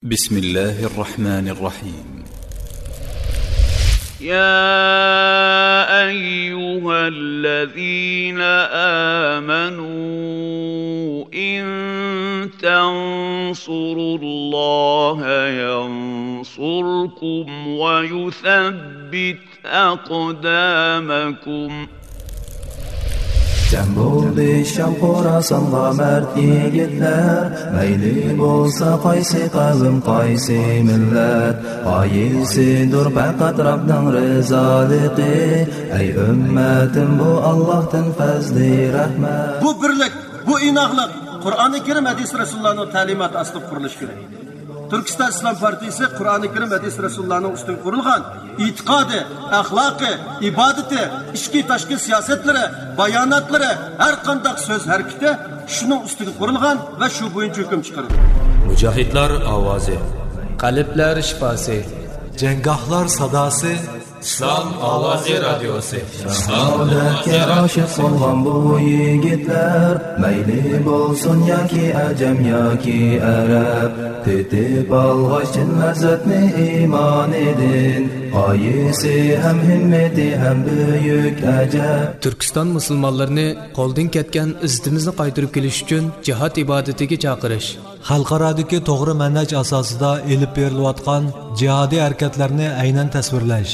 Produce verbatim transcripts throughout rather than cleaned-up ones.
بسم الله الرحمن الرحيم. يا أيها الذين آمنوا إن تنصروا الله ينصركم ويثبت أقدامكم. جەم بولدى شام خوراسانغا مەرد يىگىتلەر، مەيلى بولسا قايسى قەۋم، قايسى مىللەت، غايىسىدۇر پەقەت رەبنىڭ رىزالىقى. ئەي ئۈممەتىم، بۇ ئاللاھتىن پەزلى رەھمەت. بۇ بىرلىك، بۇ ئىناقلىق قۇرئانى كەرىم، ھەدىس رەسۇلۇللانىڭ تەلىماتى ئاستىدا قۇرۇلۇشى كېرەك. تۈركىستان ئىسلام پارتىيىسى قۇرئانى كەرىم، ھەدىس رەسۇلۇللانىڭ ئۈستىگە قۇرۇلغان ئېتىقادى، ئەخلاقى، ئىبادىتى، ئىچكى تاشقى سىياسەتلىرى، باياناتلىرى، ھەر قانداق سۆز ھەرىكىتى شۇنىڭ ئۈستىگە قۇرۇلغان ۋە شۇ بويىچە ھۆكۈم چىقىرىدۇ. مۇجاھىدلار ئاۋازى. قەلبلەر شىپاسى. جەڭگاھلار ساداسى. ئىسلام ئاۋازى رادىيوسى. سائادەتكە ئاشىق بولغان بۇ يىگىتلەر، مەيلى بولسۇن ياكى ئەجەم ياكى ئەرەب، تېتىپ ئالغاچ چىن لەززەتنى ئىمانىدىن، غايىسى ھەم ھىممىتى ھەم بۈيۈك ئەجەب. تۈركىستان مۇسۇلمانلىرىنى قولدىن كەتكەن ئىززىتىمىزنى قايتۇرۇپ كېلىش ئۈچۈن جىھاد ئىبادىتىگە چاقىرىش. خەلقئارادىكى توغرا مەنھەج ئاساسىدا ئېلىپ بېرىلىۋاتقان جىھادىي ھەرىكەتلەرنى ئەينەن تەسۋىرلەش.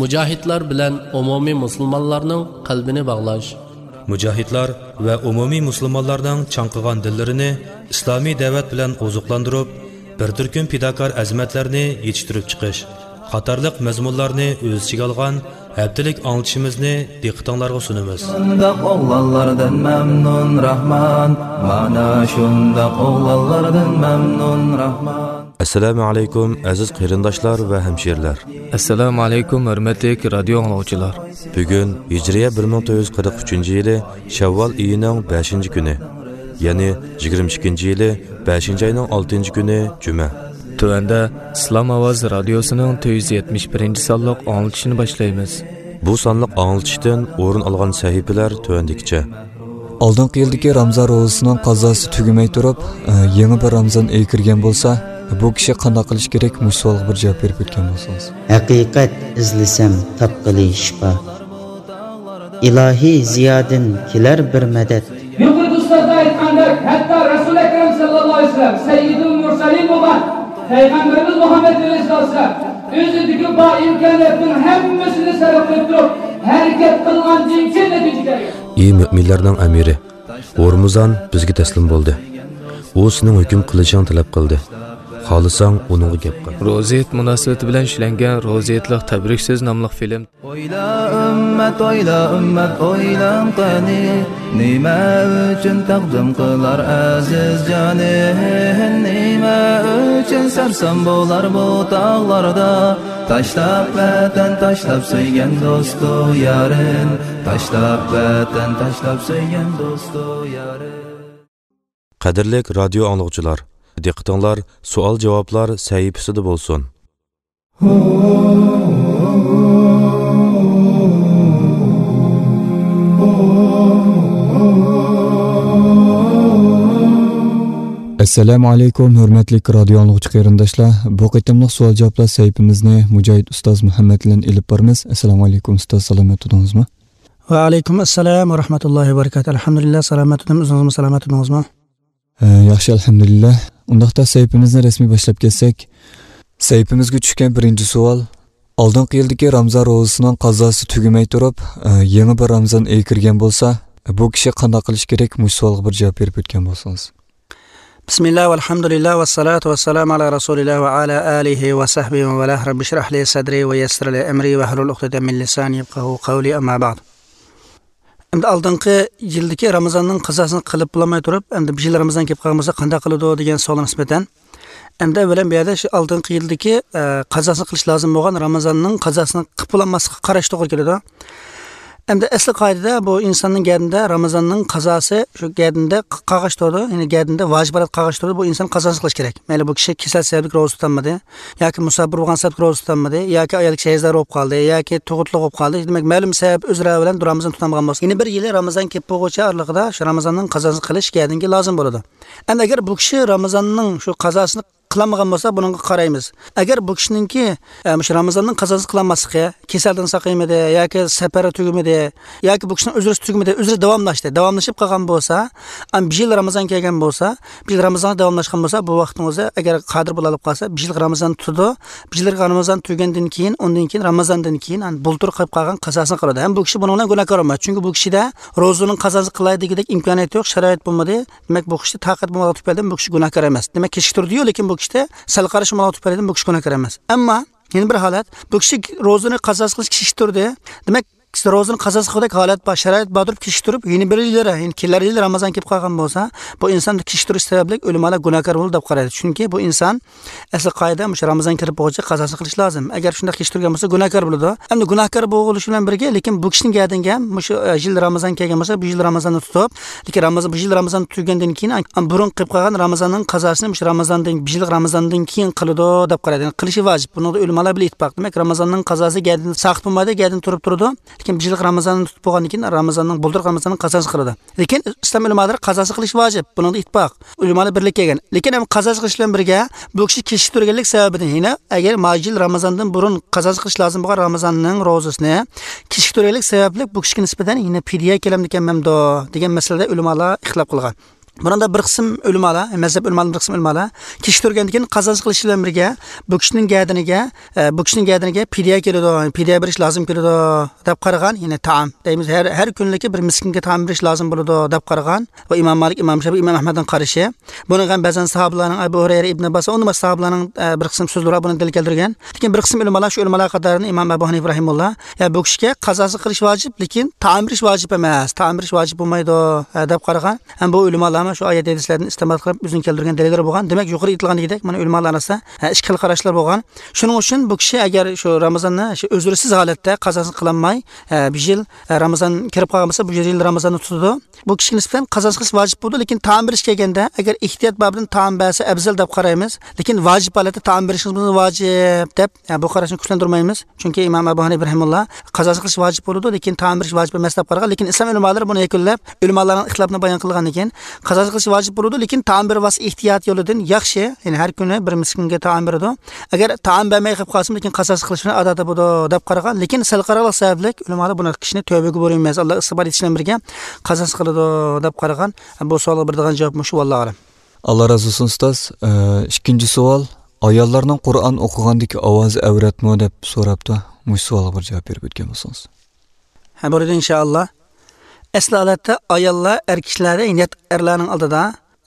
مۇجاھىدلار بىلەن ئومۇمىي مۇسۇلمانلارنىڭ قەلبىنى باغلاش. مۇجاھىدلار ۋە ئومۇمىي مۇسۇلمانلارنىڭ چاڭقىغان دىللىرىنى ئىسلامىي دەۋەت بىلەن ئوزۇقلاندۇرۇپ، بىر تۈركۈم پىداكار ئەزىمەتلەرنى يېتىشتۈرۈپ چىقىش قاتارلىق مەزمۇنلارنى ئۆز ئىچىگە ئالغان ھەپتىلىك ئاڭلىتىشىمىزنى دىققىتىڭلارغا سۇنىمىز. شۇنداق ئوغلانلاردىن مەمنۇن راھمان، مانا شۇنداق ئوغلانلاردىن مەمنۇن راھمان. ئەسسالامۇ ئەلەيكۇم، ئەزىز قېرىنداشلار ۋە ھەمشىرىلەر. ئەسسالامۇ ئەلەيكۇم، ھۆرمەتلىك رادىيو ئاڭلىغۇچىلار. بۈگۈن ھىجرىيە بىر مىڭ تۆت يۈز قىرىق ئۈچىنچى يىلى شەۋۋال ئېيىنىڭ بەشىنچى كۈنى، يەنى يىگىرمە ئىككىنچى يىلى بەشىنچى ئاينىڭ ئالتىنچى كۈنى جۈمە. تۆۋەندە ئىسلام ئاۋازى رادىيوسىنىڭ تۆت يۈز يەتمىش بىرىنچى سانلىق ئاڭلىتىشىنى باشلايمىز. بۇ سانلىق ئاڭلىتىشتىن ئورۇن ئالغان سەھىپىلەر تۆۋەندىكىچە. ئالدىنقى يىلدىكى رامزان روزىسىنىڭ قازاسى تۈگىمەي تۇرۇپ، يېڭى بىر رامزان ئېيى كىرگەن بولسا، بۇ كىشى قانداق قىلىشى كېرەك؟ مۇشۇ سوئالغا بىر جاۋاب بېرىپ ئۆتكەن بولسىڭىز. ھەقىقەت ئىزلىسەم تاپقىلى شىپا، ئىلاھىي زىيادىن كېلەر بىر مەدەت. يۇقىرىدا ئۇستازلار ئېيتقاندەك، ھەتتا رەسۇل ئەكرەم سەللەللاھۇ ئەلەيھى ۋەسەللەم سەييىدۇل مۇرسەلىن بولغان پەيغەمبىرىمىز مۇھەممەد ئەلەيھىسسالام ئۆزىدىكى بار ئىمكانىيەتنىڭ ھەممىسىنى سەرپ قىلىپ تۇرۇپ ھەرىكەت قىلغاندىن كېيىن نەتىجە كەلگەن. ئى مۆمىنلەرنىڭ ئەمىرى، رامىزان بىزگە تەسلىم بولدى. ئۇ سېنىڭ ھۆكۈم قىلىشىڭنى تەلەپ قىلدى. خالىساڭ ئۇنىڭغا گەپ قىل. روزا ھېيت مۇناسىۋىتى بىلەن ئىشلەنگەن روزا ھېيتلىق تەبرىك سۆز ناملىق فىلىم. ئويلا ئۈممەت، ئويلا ئۈممەت، ئويلاڭ قېنى، نېمە ئۈچۈن تەقدىم قىلار ئەزىز جانى؟ نېمە ئۈچۈن سەرسان بولار بۇ تاغلاردا؟ تاشلاپ ۋەتەن، تاشلاپ سۆيگەن دوستۇ يارىن، تاشلاپ ۋەتەن، تاشلاپ سۆيگەن دوستۇ يارىن. قەدىرلىك رادىيو ئاڭلىغۇچىلار، دىققىتىڭلار سوئال-جاۋابلار سەھىپىسىدە بولسۇن. ئەسسالامۇ ئەلەيكۇم، ھۆرمەتلىك رادىيو ئاڭلىغۇچى قېرىنداشلار. بۇ قېتىملىق سوئال-جاۋابلار سەھىپىمىزنى مۇجاھىد ئۇستاز مۇھەممەد بىلەن ئېلىپ بارىمىز. ئەسسالامۇ ئەلەيكۇم ئۇستاز، سالامەت تۇردىڭىزمۇ؟ ۋەئەلەيكۇم ئەسسالام ۋە رەھمەتۇللاھى ۋە بەرىكاتۇھ. ئەلھەمدۇلىللا، سالامەت تۇردۇم، ئۆزىڭىزمۇ سالامەت تۇردىڭىزمۇ؟ ئە، ياخشى، ئەلھەمدۇلىللا. ئۇنداقتا سەھىپىمىزنى رەسمىي باشلاپ كەتسەك، سەھىپىمىزگە چۈشكەن بىرىنچى سوئال، ئالدىنقى يىلدىكى رامزان روزىسىنىڭ قازاسى تۈگىمەي تۇرۇپ، ئە، يېڭى بىر رامزان ئېيى كىرگەن بولسا، بۇ كىشى قانداق قىلىشى كېرەك؟ مۇشۇ سوئالغا بىر جاۋاب بېرىپ ئۆتكەن بولسىڭىز. بىسمىللا، ۋەلھەمدۇلىللا، ۋەسسالاتۇ ۋەسسالامۇ ئەلا رەسۇلىللا ۋە ئەلا ئالىھى ۋە سەھبىھى ۋە مەن ۋالاھ. رەببىشرەھلى سەدرى ۋە يەسسىرلى ئەمرى ۋەھلۇل ئۇقدەتەم مىن لىسانى يەپقەھۇ قەۋلى، ئەمما بەئد. ئەمدى ئالدىنقى يىلدىكى رامىزاننىڭ قازاسىنى قىلىپ بولالماي تۇرۇپ، ئەمدى بۇ يىل رامىزان كېلىپ قالغان بولسا قانداق قىلىدۇ دېگەن سوئالغا نىسبەتەن، ئەمدى ئەۋۋەلەن بۇ يەردە شۇ ئالدىنقى يىلدىكى، ئە، قازاسىنى قىلىش لازىم بولغان رامىزاننىڭ قازاسىنى قىلىپ بولالماسلىققا قاراش توغرا كېلىدۇ. ئەمدى ئەسلى قائىدىدە بۇ ئىنساننىڭ گەدىنىدە رامىزاننىڭ قازاسى، شۇ گەدىنىدە ق-، قالغاچ تۇرىدۇ، يەنى گەدىنىدە ۋاجىبات قالغاچ تۇرىدۇ، بۇ ئىنسان قازاسىنى قىلىشى كېرەك. مەيلى بۇ كىشى كېسەل سەۋەبلىك روزا تۇتالمىدى، ياكى مۇساپىر بولغان سەۋەبلىك روزا تۇتالمىدى، ياكى ئايال كىشى ھەيزدار بولۇپ قالدى، ياكى تۇغۇتلۇق بولۇپ قالدى، دېمەك، مەلۇم سەۋەب ئۆزرە بىلەن رامىزان تۇتالمىغان بولسا، يەنى بىر يىلى رامىزان كېلىپ بولغۇچە ئارىلىقىدا شۇ رامىزاننىڭ قازاسىنى قىلىش گەدىنىگە لازىم بولىدۇ. ئەمدى ئەگەر بۇ كىشى رامىزاننىڭ شۇ قازاسىنى قىلالمىغان بولسا، بۇنىڭغا قارايمىز. ئەگەر بۇ كىشىنىڭكى، ئە، مۇشۇ رامىزاننىڭ قازاسى قىلالماسلىقى، كېسەلدىن ساقىيمىدى ياكى سەپەرى تۈگىمىدى ياكى بۇ كىشىنىڭ ئۆزرىسى تۈگىمىدى، ئۆزرى داۋاملاشتى، داۋاملىشىپ قالغان بولسا، ئەم، بىر يىل رامىزان كەلگەن بولسا، بىر يىل رامىزان داۋاملاشقان بولسا، بۇ ۋاقتىڭىزدا ئەگەر قادىر بولالىپ قالسا، بىر يىل رامىزان تۇتىدۇ. بىر يىل رامىزان تۈگەندىن كېيىن، ئۇندىن كېيىن رامىزاندىن كېيىن، ئەن، بۇلتۇر قىلىپ قالغان قازاسىنى قىلىدۇ. ھەم بۇ كىشى بۇنىڭ بىلەن گۇناھكار بولمايدۇ. چۈنكى بۇ كىشىدە روزىنىڭ قازاسى قىلاي دېگۈدەك ئىمكانىيەت يوق، شارائىت بولمىدى. دېمەك، بۇ كىشى تاقەت بولمىغان تۈپەيلىدىن بۇ كىشى گۇناھكار ئەمەس. دېمەك، كېچىكتۈردىيۇ، لېكىن بۇ كىشىدە سەل قارىشى بولمىغان تۈپەيلىدىن بۇ كىشى گۇناھكار ئەمەس. ئەمما يەنە بىر ھالەت، بۇ كىشى روزىنى قازاسى قىلىش كېچىكتۈردى. دېمەك، روزىنى قازاسى قىلغۇدەك ھالەت بار، شارائىت باردۇرۇپ كېچىكتۈرۈپ، يەنە بىر يىلى، يەنە كېلەر يىلى رامىزان كېلىپ قالغان بولسا، بۇ ئىنسان كېچىكتۈرۈش سەۋەبلىك ئۆلىمالار گۇناھكار بولدى دەپ قارايدۇ. چۈنكى بۇ ئىنسان ئەسلى قائىدە مۇشۇ رامىزان كىرىپ بولغۇچە قازاسىنى قىلىش لازىم. ئەگەر شۇنداق كېچىكتۈرگەن بولسا، گۇناھكار بولىدۇ. ئەمدى گۇناھكار بولۇشى بىلەن بىرگە، لېكىن بۇ كىشىنىڭ گەدىنىگە مۇشۇ، ئە، يىل رامىزان كەلگەن بولسا، بۇ يىل رامىزاننى تۇتۇپ، لېكىن رامىزان، بۇ يىل رامىزان تۈگەندىن كېيىن، ئان-، بۇرۇن قىلىپ قالغان رامىزاننىڭ قازاسىنى مۇشۇ رامىزاندىن، بۇ يىل رامىزاندىن كېيىن قىلىدۇ دەپ قارايدۇ. يەنى قىلىشى ۋاجىپ. بۇنىڭدا ئۆلىمالار بىلەن ئىتتىپاق. دېمەك، رامىزاننىڭ قازاسى گەدىنىدىن ساقىت بولمايدۇ، گەدىنىدىن تۇرۇپ تۇرىدۇ. لېكىن بىر يىللىق رامىزاننى تۇتۇپ بولغاندىن كېيىن رامىزاننىڭ، بۇلتۇرقى رامىزاننىڭ قازاسىنى قىلىدۇ. لېكىن ئىسلام ئۆلىمالىرى قازاسى قىلىش ۋاجىپ، بۇنىڭدا ئىتتىپاق. ئۆلىمالار بىرلىككە كەلگەن. لېكىن ئەمما قازاسى قىلىش بىلەن بىرگە بۇ كىشى كېچىكتۈرگەنلىك سەۋەبىدىن، يەنى ئەگەر ما يىل رامىزاندىن بۇرۇن قازاسى قىلىش لازىم بولغان رامىزاننىڭ روزىسىنى كېچىكتۈرگەنلىك سەۋەبلىك بۇ كىشىگە نىسبەتەن يەنە پىدىيە كېلەمدىكەنمەمدۇ دېگەن مەسىلىدە ئۆلىمالار ئىختىلاپ قىلغان. بۇنىڭدا بىر قىسىم ئۆلىمالار، مەزھەپ ئۆلىمالىرىنىڭ بىر قىسىم ئۆلىمالار كېچىكتۈرگەندىن كېيىن قازاسى قىلىش بىلەن بىرگە بۇ كىشىنىڭ گەدىنىگە، ئە، بۇ كىشىنىڭ گەدىنىگە پىدىيە كېلىدۇ، پىدىيە بېرىش لازىم كېلىدۇ دەپ قارىغان، يەنى تائام دەيمىز، ھەر، ھەر كۈنلۈكى بىر مىسكىنگە تائام بېرىش لازىم بولىدۇ دەپ قارىغان ۋە ئىمام مالىك، ئىمام شافىي، ئىمام ئەھمەدنىڭ قارىشى. بۇنىڭغا بەزەن ساھابىلارنىڭ، ئەبۇ ھۇرەيرە، ئىبن ئابباس، ئۇندىن باشقا ساھابىلارنىڭ، ئە، بىر قىسىم سۆزلىرى بار، بۇنى دەلىل كەلتۈرگەن. لېكىن بىر قىسىم ئۆلىمالار، شۇ ئۆلىمالار قاتارىدىن ئىمام ئەبۇ ھەنىفە رەھىمۇللا، يا بۇ كىشىگە قازاسى قىلىش ۋاجىپ، لېكىن تائام بېرىش ۋاجىپ ئەمەس، تائام بېرىش ۋاجىپ بولمايدۇ، ئە، دەپ قارىغان. ھەم بۇ ئۆلىمالارمۇ شۇ ئايەت ھەدىسلەردىن ئىستىنبات قىلىپ ئۆزىنىڭ كەلتۈرگەن دەلىللىرى بولغان. دېمەك، يۇقىرىدا ئېيتىلغاندىكىدەك، مانا ئۆلىمالار ئارىسىدا، ھە، ئىككى خىل قاراشلار بولغان. شۇنىڭ ئۈچۈن بۇ كىشى ئەگەر شۇ رامىزاننى شۇ ئۆزرىسىز ھالەتتە قازاسىنى قىلالماي، ھە، بىر يىل، ھە، رامىزان كىرىپ قالغان بولسا، بۇ يىل رامىزاننى تۇتىدۇ. بۇ كىشىگە نىسبەتەن قازاسى قىلىش ۋاجىپ بولىدۇ، لېكىن تائام بېرىش كەلگەندە، ئەگەر ئېھتىيات بابىدىن تائام بەرسە ئەۋزەل دەپ قارايمىز. لېكىن ۋاجىپ ھالەتتە تائام بېرىشىمىز ۋاجىپ دەپ، ھە، بۇ قاراشنى كۈچلەندۈرمەيمىز. چۈنكى ئىمام ئەبۇ ھەنىفە رەھىمۇللا قازاسى قىلىش ۋاجىپ بولىدۇ، لېكىن تائام بېرىش ۋاجىپ ئەمەس دەپ قارىغان. لېكىن ئىسلام ئۆلىمالىرى بۇنى يەكۈنلەپ، ئۆلىمالارنىڭ ئىختىلاپىنى بايان قىلغاندىن كېيىن، قازاسى قىلىش ۋاجىپ بولىدۇ، لېكىن تائام بېرىۋالسا ئېھتىيات يولىدىن ياخشى. يەنى ھەر كۈنى بىر مىسكىنگە تائام بېرىدۇ. ئەگەر تائام بەرمەي قېلىپ قالسىمۇ، لېكىن قازاسى قىلىش بىلەن ئادا بولىدۇ دەپ قارىغان. لېكىن سەل قاراڭلىق سەۋەبلىك ئۆلىمالار بۇنى كىشىنى تۆۋبىگە بۇيرۇيمىز، ئاللا ئىستىغپار ئېيتىش بىلەن بىرگە قازاسى قىلىدۇ دەپ قارىغان. بۇ سوئالغا بېرىدىغان جاۋاب مۇشۇ، ۋاللاھۇ ئەلەم. ئاللا رازى بولسۇن، ئۇستاز. ئە، ئىككىنچى سوئال، ئاياللارنىڭ قۇرئان ئوقۇغاندىكى ئاۋازى ئەۋرەتمۇ دەپ سوراپتۇ. مۇشۇ سوئالغا بىر جاۋاب بېرىپ ئۆتكەن بولسىڭىز. ھە، بولىدۇ، ئىنشائاللا. ئەسلى ھالەتتە ئاياللار ئەر كىشىلەردىن يات ئەرلەرنىڭ ئالدىدا،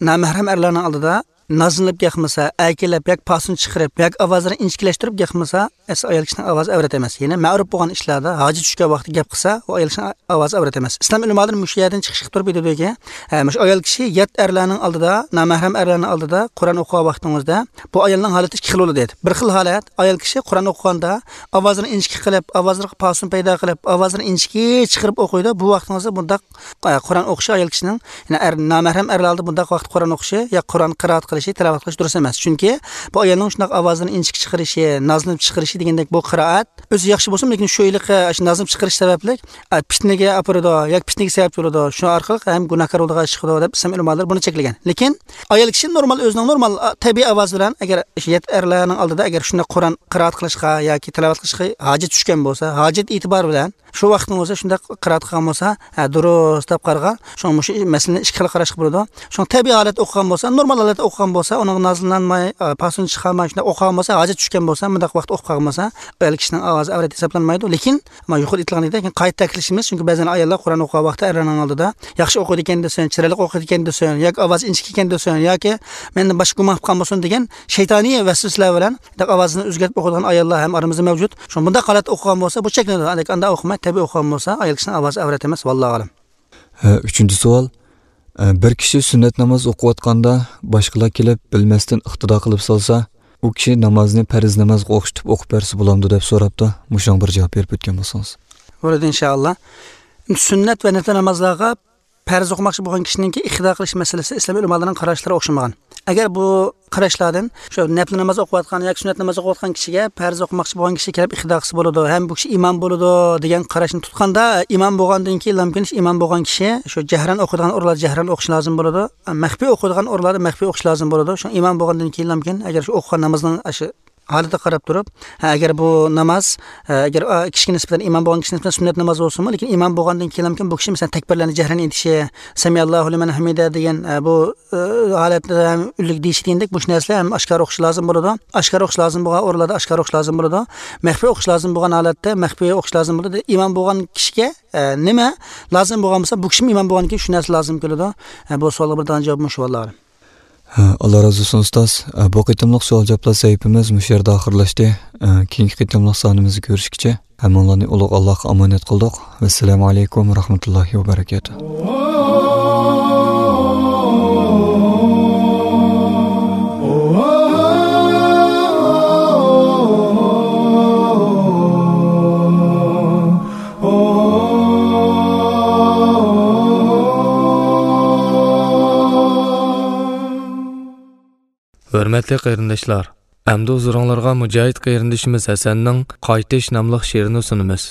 نامەھرەم ئەرلەرنىڭ ئالدىدا نازلىنىپ ياقمىسا، ئەركىلەپ ياكى پاسون چىقىرىپ ياكى ئاۋازىنى ئىنچىكىلەشتۈرۈپ ياقمىسا، ئەسلى ئايال كىشىنىڭ ئاۋازى ئەۋرەت ئەمەس. يەنى مەرۇپ بولغان ئىشلاردا، ھاجەت چۈشكەن ۋاقىتتا گەپ قىلسا، ئۇ ئايال كىشىنىڭ ئاۋازى ئەۋرەت ئەمەس. ئىسلام ئۆلىمالىرى مۇشۇ يەردىن چىقىش قىلىپ تۇرۇپ ئېيتىدۇكى، ھە، مۇشۇ ئايال كىشى يات ئەرلەرنىڭ ئالدىدا، نامەھرەم ئەرلەرنىڭ ئالدىدا قۇرئان ئوقۇغان ۋاقتىڭىزدا، بۇ ئايالنىڭ ھالىتى ئىككى خىل بولىدۇ دەيدۇ. بىر خىل ھالەت، ئايال كىشى قۇرئان ئوقۇغاندا ئاۋازىنى ئىنچىكە قىلىپ، ئاۋازىغا پاسون پەيدا قىلىپ، ئاۋازىنى ئىنچىكە چىقىرىپ ئوقۇيدۇ. بۇ ۋاقتىڭىزدا بۇنداق، ئە، قۇرئان ئوقۇشى ئايال كىشىنىڭ، يەنى ئەر، نامەھرەم ئەرلەر ئالدىدا بۇنداق ۋاقىتتا قۇرئان ئوقۇشى يا قۇرئان قىرائەت قىلىشى، تىلاۋەت قىلىشى دۇرۇس ئەمەس. چۈنكى بۇ ئايالنىڭ شۇنداق ئاۋازىنى ئىنچىكە چىقىرىشى، نازلىنىپ چىقىرىشى دېگەندەك بۇ قىرائەت ئۆزى ياخشى بولسىمۇ، لېكىن شۇ ھېلىقى، ئە، شۇ نازلىنىپ چىقىرىش سەۋەبلىك، ئە، پىتنىگە ئاپىرىدۇ ياكى پىتنىگە سەۋەبچى بولىدۇ. شۇ ئارقىلىق ھەم گۇناھكار يولىغا چىقىدۇ دەپ ئىسلام ئۆلىمالىرى بۇنى چەكلىگەن. لېكىن ئايال كىشى نورمال، ئۆزىنىڭ نورمال، ئا، تەبىئىي ئاۋازى بىلەن، ئەگەر يات ئەرلەرنىڭ ئالدىدا، ئەگەر شۇنداق قۇرئان قىرائەت قىلىشقا ياكى تىلاۋەت قىلىشقا ھاجەت چۈشكەن بولسا، ھاجەت ئېتىبارى بىلەن شۇ ۋاقىتنىڭ ئۆزىدە شۇنداق قىرائەت قىلغان بولسا، ھە، دۇرۇس دەپ قارىغان. شۇڭا مۇشۇ مەسىلىنى ئىككى خىل قاراشقا بولىدۇ. شۇڭا تەبىئىي ھالەتتە ئوقۇغان بولسا، نورمال ھالەتتە ئوقۇغان بولسا، ئۇنىڭغا نازلانماي، ئا، پاسون چىقارماي شۇنداق ئوقۇغان بولسا، ھاجەت چۈشكەن بولسا، مۇنداق ۋاقىتتا ئوقۇپ قالغان بولسا، ئايال كىشىنىڭ ئاۋازى ئەۋرەت ھېسابلانمايدۇ. لېكىن، مانا يۇقىرىدا ئېيتىلغاندەك، قايتا تەكىتلىشىمىز، چۈنكى بەزەن ئاياللار قۇرئان ئوقۇغان ۋاقتىدا ئەرلەرنىڭ ئالدىدا ياخشى ئوقۇيدىكەن دېسۇن، چىرايلىق ئوقۇيدىكەن دېسۇن ياكى ئاۋازى ئىنچىكىكەن دېسۇن ياكى مەندىن باشقا گۇمان قىلىپ قالمىسۇن دېگەن شەيتانىي ۋەسۋەسىلەر بىلەن ئاۋازىنى ئۆزگەرتىپ ئوقۇيدىغان ئاياللار ھەم ئارىمىزدا مەۋجۇت. شۇڭا بۇنداق ھالەتتە ئوقۇغان بولسا، بۇ چەكلىنىدۇ. لېكىن ئانداق ئوقۇماي، تەبىئىي ئوقۇغان بولسا، ئايال كىشىنىڭ ئاۋازى ئەۋرەت ئەمەس، ۋاللاھۇ ئەلەم. ھە، ئۈچىنچى سوئال. ئە، بىر كىشى سۈننەت ناماز ئوقۇۋاتقاندا باشقىلار كېلىپ بىلمەستىن ئىقتىدا قىلىپ سالسا، ئۇ كىشى نامازنى پەرز نامازغا ئوخشىتىپ ئوقۇپ بەرسە بولامدۇ دەپ سوراپتۇ. مۇشۇنىڭغا بىر جاۋاب بېرىپ ئۆتكەن بولسىڭىز. بولىدۇ، ئىنشائاللا. سۈننەت ۋە نەپلى نامازلارغا پەرز ئوقۇماقچى بولغان كىشىنىڭكى ئىقتىدا قىلىش مەسىلىسى ئىسلام ئۆلىمالىرىنىڭ قاراشلىرى ئوخشىمىغان. ئەگەر بۇ قاراشلاردىن شۇ نەپلى ناماز ئوقۇۋاتقان ياكى سۈننەت ناماز ئوقۇۋاتقان كىشىگە پەرز ئوقۇماقچى بولغان كىشى كېلىپ ئىقتىدا قىلسا بولىدۇ ھەم بۇ كىشى ئىمام بولىدۇ دېگەن قاراشنى تۇتقاندا، ئىمام بولغاندىن كېيىنلامكىن ئىمام بولغان كىشى شۇ جەھرەن ئوقۇيدىغان ئورۇنلاردا جەھرەن ئوقۇشى لازىم بولىدۇ. مەخپىي ئوقۇيدىغان ئورۇنلاردا مەخپىي ئوقۇشى لازىم بولىدۇ. شۇ ئىمام بولغاندىن كېيىنلامكىن ئەگەر شۇ ئوقۇغان نامىزىنىڭ شۇ ھالىتىگە قاراپ تۇرۇپ، ھە، ئەگەر بۇ ناماز، ھە، ئەگەر، ئا، كىشىگە نىسبەتەن ئىمام بولغان كىشىگە نىسبەتەن سۈننەت ناماز بولسىمۇ، لېكىن ئىمام بولغاندىن كېيىنلامكىن بۇ كىشى مەسىلەن تەكبىرلەرنى جەھرەن ئېيتىشى، سەمىئاللاھۇ لىمەن ھەمىدە دېگەن، ئە، بۇ، ئە، ھالەتتە ھەم ئۈنلۈك دېيىشى دېگەندەك مۇشۇ نەرسىلەر ھەم ئاشكارا ئوقۇش لازىم بولىدۇ. ئاشكارا ئوقۇش لازىم بولغان ئورۇنلاردا ئاشكارا ئوقۇش لازىم بولىدۇ. مەخپىي ئوقۇش لازىم بولغان ھالەتتە مەخپىي ئوقۇش لازىم بولىدۇ. ئىمام بولغان كىشىگە، ئە، نېمە لازىم بولغان بولسا، بۇ كىشىمۇ ئىمام بولغاندىن كېيىن شۇ نەرسە لازىم كېلىدۇ. ئە، بۇ سوئالغا بېرىدىغان جاۋاب مۇشۇ، ۋاللاھۇ ئەلەم. ھە، ئاللا رازى بولسۇن ئۇستاز. ئە، بۇ قېتىملىق سوئال جاۋابلار سەھىپىمىز مۇشۇ يەردە ئاخىرلاشتى. ئە، كېيىنكى قېتىملىق سانىمىزدا كۆرۈشكىچە ھەممىڭلارنى ئۇلۇغ ئاللاغا ئامانەت قىلدۇق. ۋەسسالامۇ ئەلەيكۇم ۋە رەھمەتۇللاھى ۋە بەرەكاتۇھ. ھۆرمەتلىك قېرىنداشلار، ئەمدى ھۇزۇرۇڭلارغا مۇجاھىد قېرىندىشىمىز ھەسەننىڭ قايتىش ناملىق شېئىرىنى سۇنىمىز.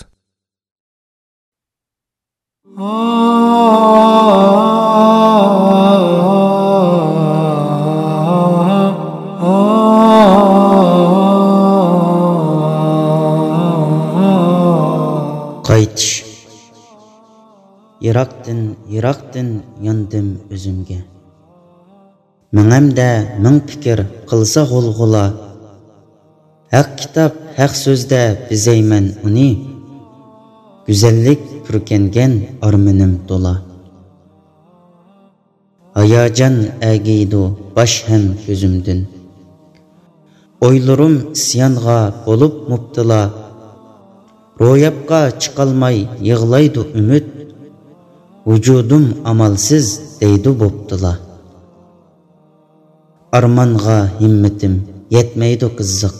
قايتىش. يىراقتىن، يىراقتىن ياندىم ئۆزۈمگە. مېڭەمدە مىڭ پىكىر قىلسا غۇلغۇلا، ھەق كىتاب، ھەق سۆزدە بېزەيمەن ئۇنى، گۈزەللىك پۈركەنگەن ئارمىنىم تولا. ھاياجان ئەگىيدۇ باش ھەم كۆزۈمدىن، ئويلىرىم ئىسيانغا بولۇپ مۇپتىلا، روياپقا چىقالماي يىغلايدۇ ئۈمىد، ۋۇجۇدۇم ئامالسىز دەيدۇ بوپتىلا. ئارمانغا ھىممىتىم يەتمەيدۇ قىزىق،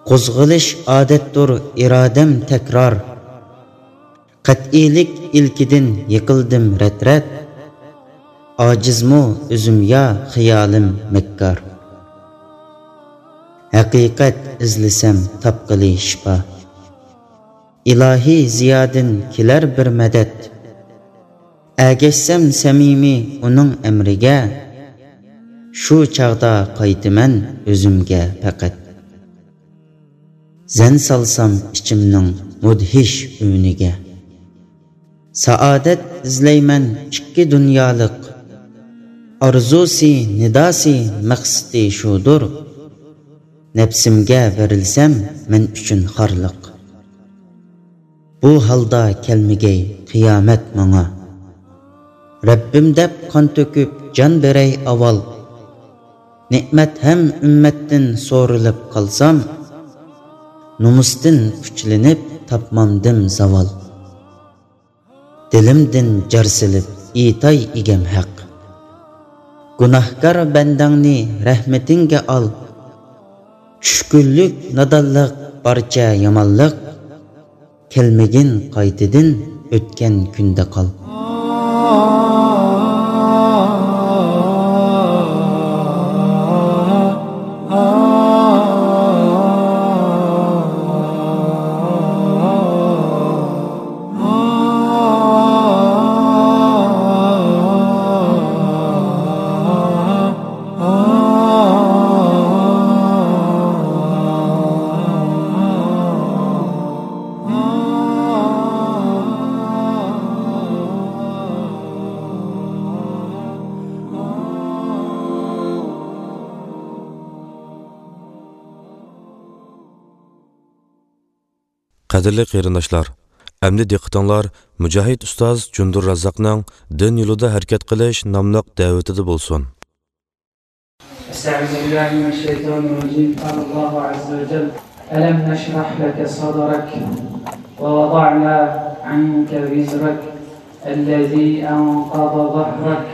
قوزغىلىش ئادەتتۇر ئىرادەم تەكرار، قەتئىيلىك ئىلكىدىن يىقىلدىم رەت-رەت، ئاجىزمۇ ئۆزۈم يا خىيالىم مەككار، ھەقىقەت ئىزلىسەم تاپقىلى شىپا. ئىلاھىي زىيادىن كېلەر بىر مەدەت، ئەگەشسەم سەمىمىي ئۇنىڭ ئەمرىگە، شۇ چاغدا قايتىمەن ئۆزۈمگە پەقەت. زەن سالسام ئىچىمنىڭ مۇدھىش ئۈنىگە، سائادەت ئىزلەيمەن ئىككى دۇنيالىق، ئارزۇسى، نىداسى، مەقسىتى شۇدۇر. نەپسىمگە بېرىلسەم مەن ئۈچۈن خارلىق، بۇ ھالدا كەلمىگەي قىيامەت ماڭا. رەببىم دەپ قان تۆكۈپ جان بېرەي ئاۋال، نېمەت ھەم ئۈممەتتىن سورىلىپ قالسام، نومۇستىن پۇچلىنىپ تاپمامدىم زاۋال. دىلىمدىن جار سېلىپ ئېيتاي ئىگەم ھەق، گۇناھكار بەندەڭنى رەھمىتىڭگە ئال. چۈشكۈنلۈك، نادانلىق، بارچە يامانلىق، كەلمىگىن قايتىدىن ئۆتكەن كۈندە قال. قەدىرلىك قېرىنداشلار، ئەمدى دىققىتىڭلار مۇجاھىد ئۇستاز جۇندۇر رازاقنىڭ دىن يولىدا ھەرىكەت قىلىش ناملىق دەۋىتىدە بولسۇن. أستعوذ بالله من الشيطان الرجيم. قال الله عز وجل: ألم نشرح لك صدرك ووضعنا عنك وزرك الذي أنقض ظهرك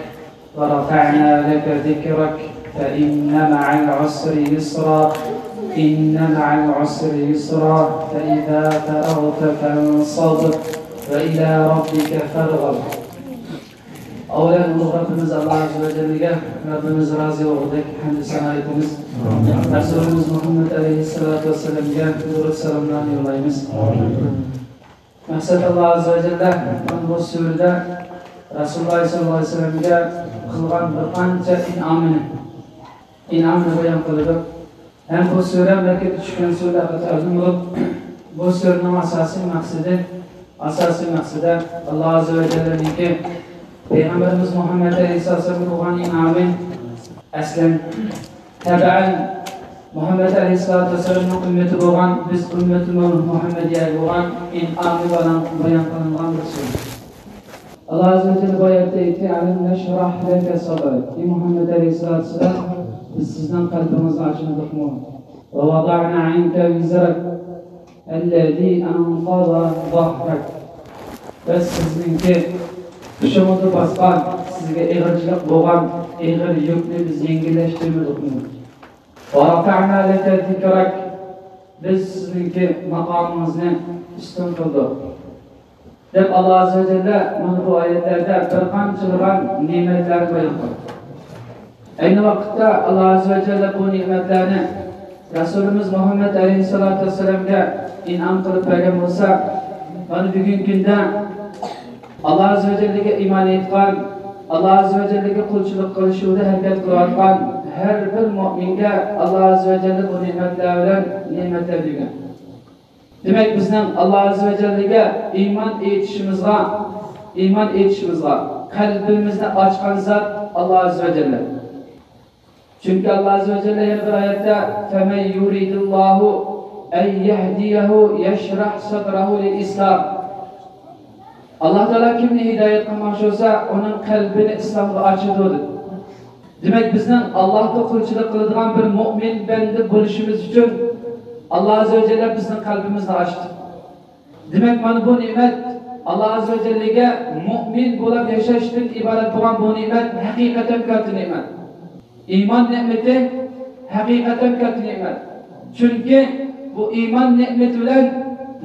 ورفعنا لك ذكرك فإن مع العسر يسرا، إن مع العسر يسرا، فإذا فرغت فانصب، وإلى ربك فارغب. ئاۋۋالەن ئۇلۇغ رەببىمىز ئاللا ئەززە ۋە جەللىگە رەببىمىز رازى بولغۇدەك ھەمدۇ سانا ئېيتىمىز. رەسۇلىمىز مۇھەممەد ئەلەيھىسسالاتۇ ۋەسسالامگە دۇرۇد سالاملارنى يوللايمىز. مەقسەت، ئاللا ئەززە ۋە جەللە مانا بۇ سۈرىدە رەسۇلۇللا ساللاللاھۇ ئەلەيھى ۋەسەللەمگە قىلغان بىر قانچە ئىنئامىنى، ئىنئامىنى بايان قىلىدۇ. ھەم بۇ سۈرە مەككىدە چۈشكەن سۈرىلەرگە تەقدىم بولۇپ، بۇ سۈرىنىڭ ئاساسىي مەقسىتى، ئاساسىي مەقسىتى ئاللا ئەززە ۋە جەللەنىڭكى پەيغەمبىرىمىز مۇھەممەد ئەلەيھىسسالامغا بولغان ئىنئامى، ئەسلەن، تەبەئەن، مۇھەممەد ئەلەيھىسسالاتۇ ۋەسسالامنىڭ ئۈممىتى بولغان، بىز ئۈممىتى مۇھەممەدىيەگە بولغان ئىنئامى بايان، بايان قىلىنغان بىر سۈرە. ئاللا ئەززە ۋە جەللە بۇ ئايەتتە ئېيتتى، «ئەلەم نەشرەھ لەكە سەدرەك.» ئى مۇھەممەد ئەلەيھىسسالاتۇ ۋەسسالام، بىز سىزنىڭ قەلبىڭىزنى ئاچمىدۇقمۇ؟ ۋە ۋەدەئنا ئەنكە ۋىزرەك ئەللەزى ئەنقەزە زەھرەك. بىز سىزنىڭكى قېشىڭىزدا باسقان، سىزگە ئېغىرچىلىق بولغان ئېغىر يۈكنى بىز يەڭگىللەشتۈرمىدۇقمۇ؟ ۋە رەفەئنا لەكە زىكرەك. بىز سىزنىڭكى ماقامىڭىزنى ئۈستۈن قىلدۇق. دەپ، ئاللا ئەززە ۋە جەللە مانا بۇ ئايەتلەردە بىر قانچىلىغان نېمەتلەرنى بايان قىلدى. ئەينى ۋاقىتتا ئاللا ئەززە ۋە جەللە بۇ نېمەتلەرنى رەسۇلىمىز مۇھەممەد ئەلەيھىسسالاتۇ ۋەسسالامغا ئىنئام قىلىپ بەرگەن بولسا، مانا بۈگۈنكى كۈندە ئاللا ئەززە ۋە جەللىگە ئىمان ئېيتقان، ئاللا ئەززە ۋە جەللىگە قۇلچىلىق قىلىش يولىدا ھەرىكەت قىلىۋاتقان ھەر بىر مۆمىنگە ئاللا ئەززە ۋە جەللە بۇ نېمەتلەر بىلەن نېمەتلەر بەرگەن. دېمەك، بىزنىڭ ئاللا ئەززە ۋە جەللىگە ئىمان ئېيتىشىمىزغا، ئىمان ئېيتىشىمىزغا قەلبىمىزنى ئاچقان زات ئاللا ئەززە ۋە جەللە. چۈنكى ئاللا ئەززە ۋە جەللە يەنە بىر ئايەتتە، فَمَن يُرِدِ اللَّهُ أَن يَهْدِيَهُ يَشْرَحْ صَدْرَهُ لِلْإِسْلَامِ. ئاللا تائالا كىمنى ھىدايەت قىلماقچى بولسا، ئۇنىڭ قەلبىنى ئىسلامغا ئاچىدۇ، دېدى. دېمەك، بىزنىڭ ئاللاغا قۇلچىلىق قىلىدىغان بىر مۆمىن بەندە بولۇشىمىز ئۈچۈن ئاللا ئەززە ۋە جەللە بىزنىڭ قەلبىمىزنى ئاچتى. دېمەك، مانا بۇ نېمەت، ئاللا ئەززە ۋە جەللىگە مۆمىن بولۇپ ياشاشتىن ئىبارەت بولغان بۇ نېمەت ھەقىقەتەن كاتتا نېمەت. ئىمان نېمىتى ھەقىقەتەن كاتتا نېمەت. چۈنكى بۇ ئىمان نېمىتى بىلەن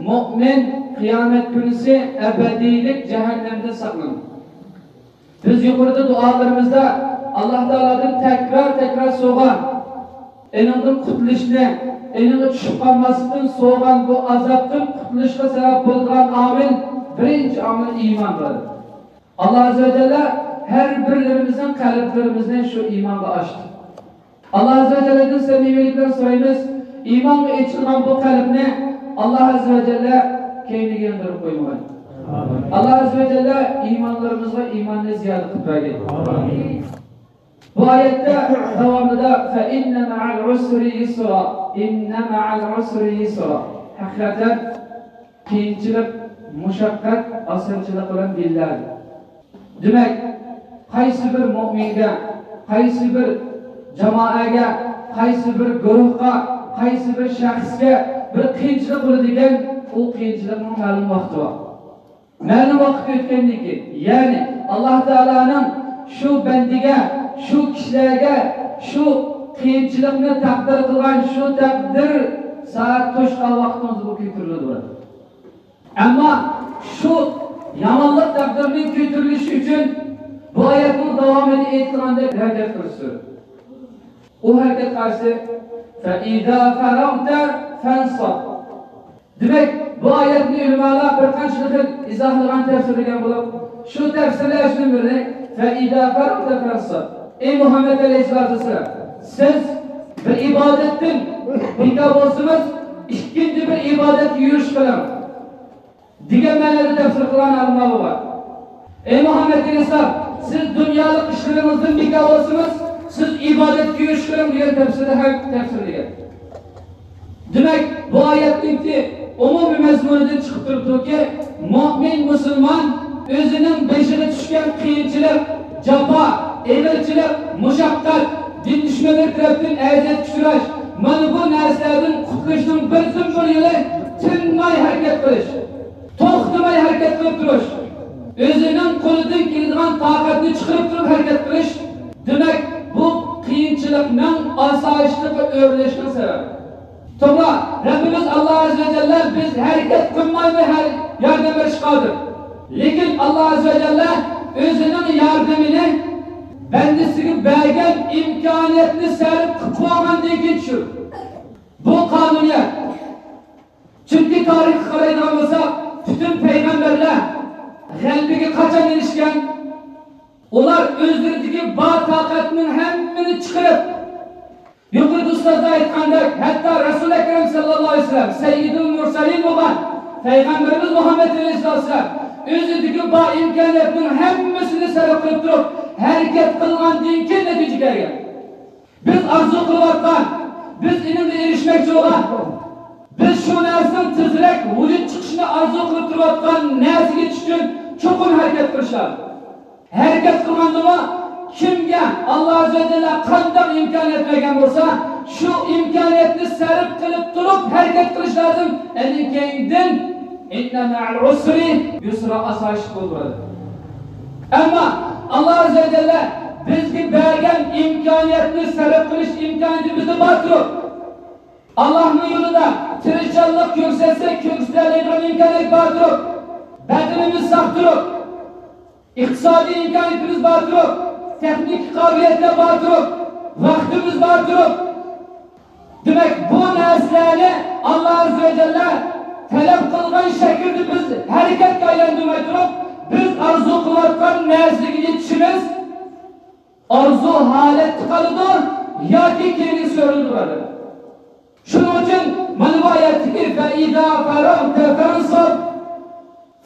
مۆمىن قىيامەت كۈنىسى ئەبەدىيلىك جەھەننەمدىن ساقلىنىدۇ. بىز يۇقىرىدا دۇئالىرىمىزدا ئاللا تائالادىن تەكرار-تەكرار سورىغان، ئېنىڭدىن قۇتۇلۇشنى، ئېنىڭغا چۈشۈپ قالماسلىقتىن سورىغان بۇ ئازابتىن قۇتۇلۇشقا سەۋەب بولىدىغان ئامىل، بىرىنچى ئامىل ئىماندۇر. ئاللا ئەززە ۋە جەللە ھەر بىرلىرىمىزنىڭ قەلبلىرىمىزنى شۇ ئىمانغا ئاچتى. ئاللا ئەززە ۋە جەللىدىن سەمىمىيلىك بىلەن سورايمىز، ئىمانغا ئېچىلغان بۇ قەلبنى ئاللا ئەززە ۋە جەللە كەينىگە ياندۇرۇپ قويمىغاي. ئاللا ئەززە ۋە جەللە ئىمانلىرىمىزغا ئىماننى زىيادە قىلىپ بەرگەي. بۇ ئايەتتە داۋامىدا، فَإِنَّ مَعَ الْعُسْرِ يُسْرًا، إِنَّ مَعَ الْعُسْرِ يُسْرًا. ھەقىقەتەن قىيىنچىلىق، مۇشەققەت ئاسانچىلىق بىلەن بىللە. دېمەك، قايسى بىر مۆمىنگە، قايسى بىر جامائەگە، قايسى بىر گۇرۇھقا، قايسى بىر شەخسكە بىر قىيىنچىلىق بولىدىكەن، ئۇ قىيىنچىلىقنىڭ مەلۇم ۋاقتى بار. مەلۇم ۋاقىت ئۆتكەندىن كېيىن، يەنى ئاللا تائالانىڭ شۇ بەندىگە، شۇ كىشىلەرگە شۇ قىيىنچىلىقنى تەقدىر قىلغان شۇ تەقدىر سائەت توشقان ۋاقتىڭىزدا بۇ كۆتۈرۈلىدۇ. ئەمما شۇ يامانلىق تەقدىرىنىڭ كۆتۈرۈلۈشى ئۈچۈن بۇ ئايەتنىڭ داۋامىدا ئېيتىلغاندەك ھەرىكەت قىلىش زۆرۈر. ئۇ ھەرىكەت قايسى؟ فَإِذَا فَرَغْتَ فَانْصَبْ. دېمەك، بۇ ئايەتنى ئۆلىمالار بىر قانچە خىل ئىزاھلىغان، تەپسىرلىگەن بولۇپ، شۇ تەپسىرلەشنىڭ بىرى، فَإِذَا فَرَغْتَ فَانْصَبْ. ئەي مۇھەممەد ئەلەيھىسسالاتۇ ۋەسسالام، سىز بىر ئىبادەتتىن بىكار بولسىڭىز، ئىككىنچى بىر ئىبادەتكە يۈرۈش قىلىڭ، دېگەن مەنىدە تەپسىر قىلغان ئالىملار بار. ئەي مۇھەممەد ئەلەيھىسسالام، سىز دۇنيالىق ئىشلىرىڭىزدىن بىكار بولسىڭىز، سىز ئىبادەتكە يۈرۈش قىلىڭ، دېگەن تەپسىردە ھەم تەپسىرلىگەن. دېمەك، بۇ ئايەتنىڭكى ئومۇمىي مەزمۇنىدىن چىقىپ تۇرۇپتۇكى، مۆمىن مۇسۇلمان ئۆزىنىڭ بېشىغا چۈشكەن قىيىنچىلىق، جاپا، ئېغىرچىلىق، مۇشەققەت، دىن دۈشمەنلىرى تەرەپتىن ئەزىيەتكە ئۇچراش، مانا بۇ نەرسىلەردىن قۇتۇلۇشنىڭ بىردىنبىر يولى تىنماي ھەرىكەت قىلىش، توختىماي ھەرىكەت قىلىپ تۇرۇش، ئۆزىنىڭ قولىدىن كېلىدىغان تاقەتنى چىقىرىپ تۇرۇپ ھەرىكەت قىلىش، دېمەك، بۇ قىيىنچىلىقنىڭ ئاسايىشلىققا ئۆرۈلۈشىنىڭ سەۋەبى. توغرا، رەببىمىز ئاللا ئەززە ۋە جەللە بىز ھەرىكەت قىلمايمۇ ھەر ياردەم بېرىشكە قادىر. لېكىن ئاللا ئەززە ۋە جەللە ئۆزىنىڭ ياردىمىنى بەندىسىگە بەرگەن ئىمكانىيەتنى سەرپ قىلىپ بولغاندىن كېيىن چۈشۈر. بۇ قانۇنىيەت. چۈنكى تارىخقا قارايدىغان بولساق، پۈتۈن پەيغەمبەرلەر غەلىبىگە قاچان ئېرىشكەن؟ ئۇلار ئۆزلىرىدىكى بار تاقەتنىڭ ھەممىنى چىقىرىپ، يۇقىرىدا ئۇستازلار ئېيتقاندەك، ھەتتا رەسۇل ئەكرەم ساللاللاھۇ ئەلەيھى ۋەسەللەم، سەييىدۇل مۇرسەلىن بولغان پەيغەمبىرىمىز مۇھەممەد ئەلەيھىسسالام ئۆزىدىكى بار ئىمكانىيەتنىڭ ھەممىسىنى سەرپ قىلىپ تۇرۇپ، ھەرىكەت قىلغاندىن كېيىن نەتىجە كەلگەن. بىز ئارزۇ قىلىۋاتقان، بىز ئېنىڭغا ئېرىشمەكچى بولغان، بىز شۇ نەرسىنىڭ تېزرەك ۋۇجۇد چىقىشىنى ئارزۇ قىلىپ تۇرۇۋاتقان نەرسىگە يېتىش ئۈچۈن چوقۇم ھەرىكەت قىلىش لازىم. ھەرىكەت قىلغاندىمۇ، كىمگە ئاللا ئەززە ۋە جەللە قانداق ئىمكانىيەت بەرگەن بولسا، شۇ ئىمكانىيەتنى سەرپ قىلىپ تۇرۇپ ھەرىكەت قىلىش لازىم. ئەنە كەينىدىن، ئىننە مەئەل ئۇسرى يۇسرا، ئاسايىشلىق بولىدۇ. ئەمما ئاللا ئەززە ۋە جەللە بىزگە بەرگەن ئىمكانىيەتنى سەرپ قىلىش ئىمكانىيىتى بىزدە بار تۇرۇپ، ئاللانىڭ يولىدا تىرىشچانلىق كۆرسەتسەك، كۆرسىتەلەيدىغان ئىمكانىيەت بار تۇرۇپ، بەدىنىمىز ساق تۇرۇپ، ئىقتىسادىي ئىمكانىيىتىمىز بار تۇرۇپ، تېخنىكا قابىلىيەتلەر بار تۇرۇپ، ۋاقتىمىز بار تۇرۇپ، دېمەك، بۇ نەرسىلەرنى ئاللا ئەززە ۋە جەللە تەلەپ قىلغان شەكىلدە بىز ھەرىكەتكە ئايلاندۇرماي تۇرۇپ، بىز ئارزۇ قىلىۋاتقان نەرسىگە يېتىشىمىز ئارزۇ ھالەتتە قالىدۇ ياكى كەينىگە سۈرۈلىدۇ، بۇرادەر. شۇنىڭ ئۈچۈن مانا بۇ ئايەتتىكى فَإِذَا فَرَغْتَ فَانْصَبْ،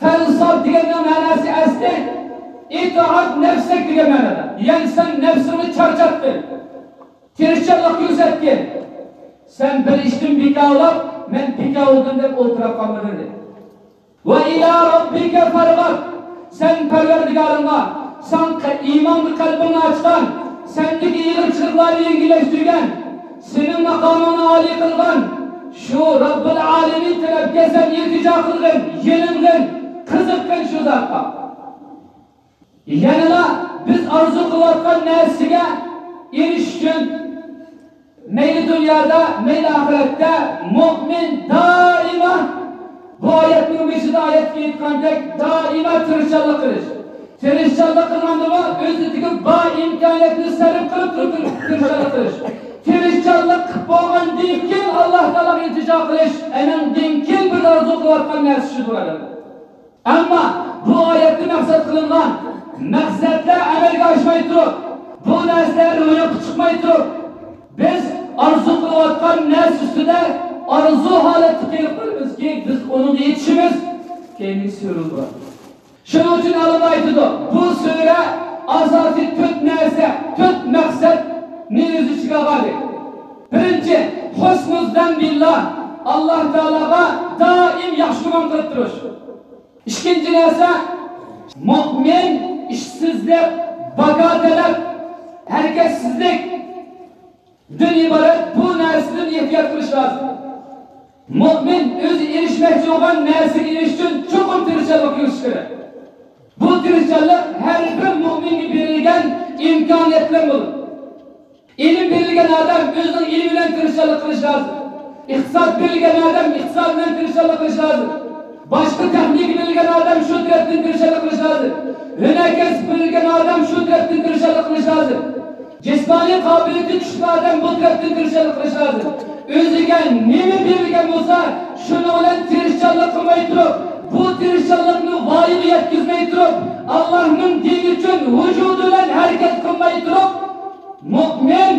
فَانْصَبْ دېگەننىڭ مەناسى ئەسلى ئىتئاب نەفسەك دېگەن مەنىدە. يەنى سەن نەپسىڭنى چارچاتقىن، تىرىشچانلىق كۆرسەتكىن. سەن بىر ئىشتىن بىكار بولۇپ، مەن بىكار بولدۇم دەپ ئولتۇرۇپ قالمىغىن، دېدى. ۋە ئىلا رەببىكە فارغاب. سەن پەرۋەردىگارىڭغا، ساڭا ئىمانغا قەلبىڭنى ئاچقان، سەندىكى ئېغىرچىلىقلارنى يەڭگىللەشتۈرگەن، سېنىڭ ماقامىڭنى ئالىي قىلغان شۇ رەببۇل ئالىمىن تەرەپكە سەن ئىلتىجا قىلغىن، يېلىنغىن، قىزىققىن شۇ زاتقا. يەنىلا بىز ئارزۇ قىلىۋاتقان نەرسىگە ئېرىشىش ئۈچۈن مەيلى دۇنيادا، مەيلى ئاخىرەتتە مۆمىن دائىما، بۇ ئايەتنىڭ بېشىدا ئايەتتە ئېيتقاندەك، دائىما تىرىشچانلىق قىلىش. تىرىشچانلىق قىلغاندىمۇ ئۆزىدىكى بار ئىمكانىيەتنى سەرپ قىلىپ تۇرۇپ تىرىشچانلىق قىلىش. تىرىشچانلىق قىلىپ بولغاندىن كېيىن ئاللا تائالاغا ئىلتىجا قىلىش، ئەنىڭدىن كېيىن بىز ئارزۇ قىلىۋاتقان نەرسە شۇدۇر، ئەلۋەتتە. ئەمما بۇ ئايەتتە مەقسەت قىلىنغان مەقسەتلەر ئەمەلگە ئاشماي تۇرۇپ، بۇ نەرسىلەر روياپقا چىقماي تۇرۇپ، بىز ئارزۇ قىلىۋاتقان نەرسە ئۈستىدە ئارزۇ ھالەتتە قېلىپ قالىمىزكى، بىز ئۇنىڭغا يېتىشىمىز كەينىگە سۈرۈلىدۇ. شۇنىڭ ئۈچۈن ئالىملار ئېيتىدۇ، بۇ سۈرە ئاساسىي تۆت نەرسە، تۆت مەقسەتنى ئۆز ئىچىگە ئالغان. بىرىنچى، ھۇسنۇززەن بىللا، ئاللا تائالاغا دائىم ياخشى گۇمان قىلىپ تۇرۇش. ئىككىنچى نەرسە، مۆمىن ئىشسىزلىق، باكا تەلەپ، ھەرىكەتسىزلىكتىن ئىبارەت بۇ نەرسىدىن ئېھتىيات قىلىش لازىم. مۆمىن ئۆزى ئېرىشمەكچى بولغان نەرسىگە ئېرىشىش ئۈچۈن چوقۇم تىرىشچانلىق كۆرسىتىشى كېرەك. بۇ تىرىشچانلىق ھەر بىر مۆمىنگە بېرىلگەن ئىمكانىيەت بىلەن بولىدۇ. ئىلىم بېرىلگەن ئادەم ئۆزىنىڭ ئىلمى بىلەن تىرىشچانلىق قىلىشى لازىم. ئىقتىساد بېرىلگەن ئادەم ئىقتىساد بىلەن تىرىشچانلىق قىلىشى لازىم. باشقا تېخنىكا بېرىلگەن ئادەم شۇ تەرەپتىن تىرىشچانلىق قىلىشى لازىم. ھۈنەر كەسىپ بېرىلگەن ئادەم شۇ تەرەپتىن تىرىشچانلىق قىلىشى لازىم. جىسمانىي قابىلىيىتى كۈچلۈك ئادەم بۇ تەرەپتىن تىرىشچانلىق قىلىشى لازىم. ئۆزىگە نېمە بېرىلگەن بولسا، شۇنىڭ بىلەن تىرىشچانلىق قىلماي تۇرۇپ، بۇ تىرىشچانلىقنى ۋايىغا يەتكۈزمەي تۇرۇپ، ئاللانىڭ دىنى ئۈچۈن ۋۇجۇدى بىلەن ھەرىكەت قىلماي تۇرۇپ، مۆمىن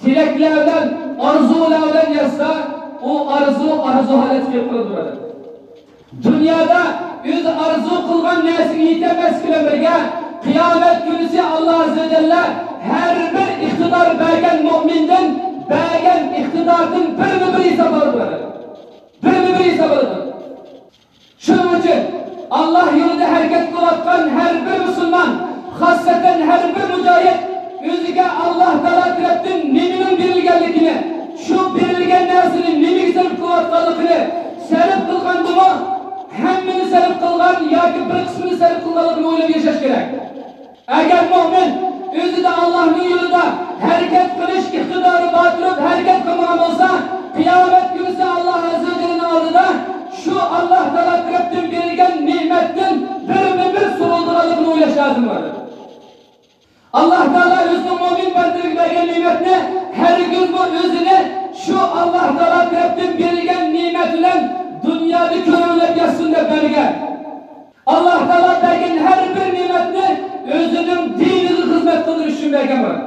تىلەكلەر بىلەن، ئارزۇلار بىلەن ياتسا، ئۇ ئارزۇ، ئارزۇ ھالەتكە كېلىپ قالىدۇ. دۇنيادا ئۆزى ئارزۇ قىلغان نەرسىگە يېتەلمەسلىك بىلەن بىرگە، قىيامەت كۈنىسى ئاللا ئەززە ۋە جەللە ھەر بىر ئىقتىدار بەرگەن مۆمىندىن بەرگەن ئىقتىداردىن بىرمۇ بىر ھېساب ئالىدۇ. بىرمۇ بىر ھېساب ئالىدۇ. شۇنىڭ ئۈچۈن ئاللا يولىدا ھەرىكەت قىلىۋاتقان ھەر بىر مۇسۇلمان، خاسسەتەن ھەر بىر مۇجاھىد ئۆزىگە ئاللا تائالا تەرەپتىن نېمىنىڭ بېرىلگەنلىكىنى، شۇ بېرىلگەن نەرسىنى نېمىگە سەرپ قىلىۋاتقانلىقىنى، سەرپ قىلغاندىمۇ، ھەممىنى سەرپ قىلغان ياكى بىر قىسمىنى سەرپ قىلغانلىقىنى ئويلاپ ياشاش كېرەك. ئەگەر مۆمىن ئۆزىدە ئاللانىڭ يولىدا ھەرىكەت قىلىش ئىقتىدارى بار تۇرۇپ ھەرىكەت قىلمىغان بولسا، قىيامەت كۈنىسى ئاللا ئەززە ۋە جەللىنىڭ ئالدىدا شۇ ئاللا تائالا تەرەپتىن بېرىلگەن نېمەتتىن بىرمۇ بىر سۇنۇلىدىغانلىقىنى ئويلاش لازىم. ئاللاھ تائالا تەرەپتىن بېرىلگەن نېمەت بىلەن دۇنيادا كۆرۈڭلەپ ياتسۇن دەپ بەرگەن. ئاللاھ تائالا بەرگەن ھەر بىر نېمەتنى ئۆزىنىڭ دىنىغا خىزمەت قىلدۇرۇش ئۈچۈن بەرگەن بۇلار.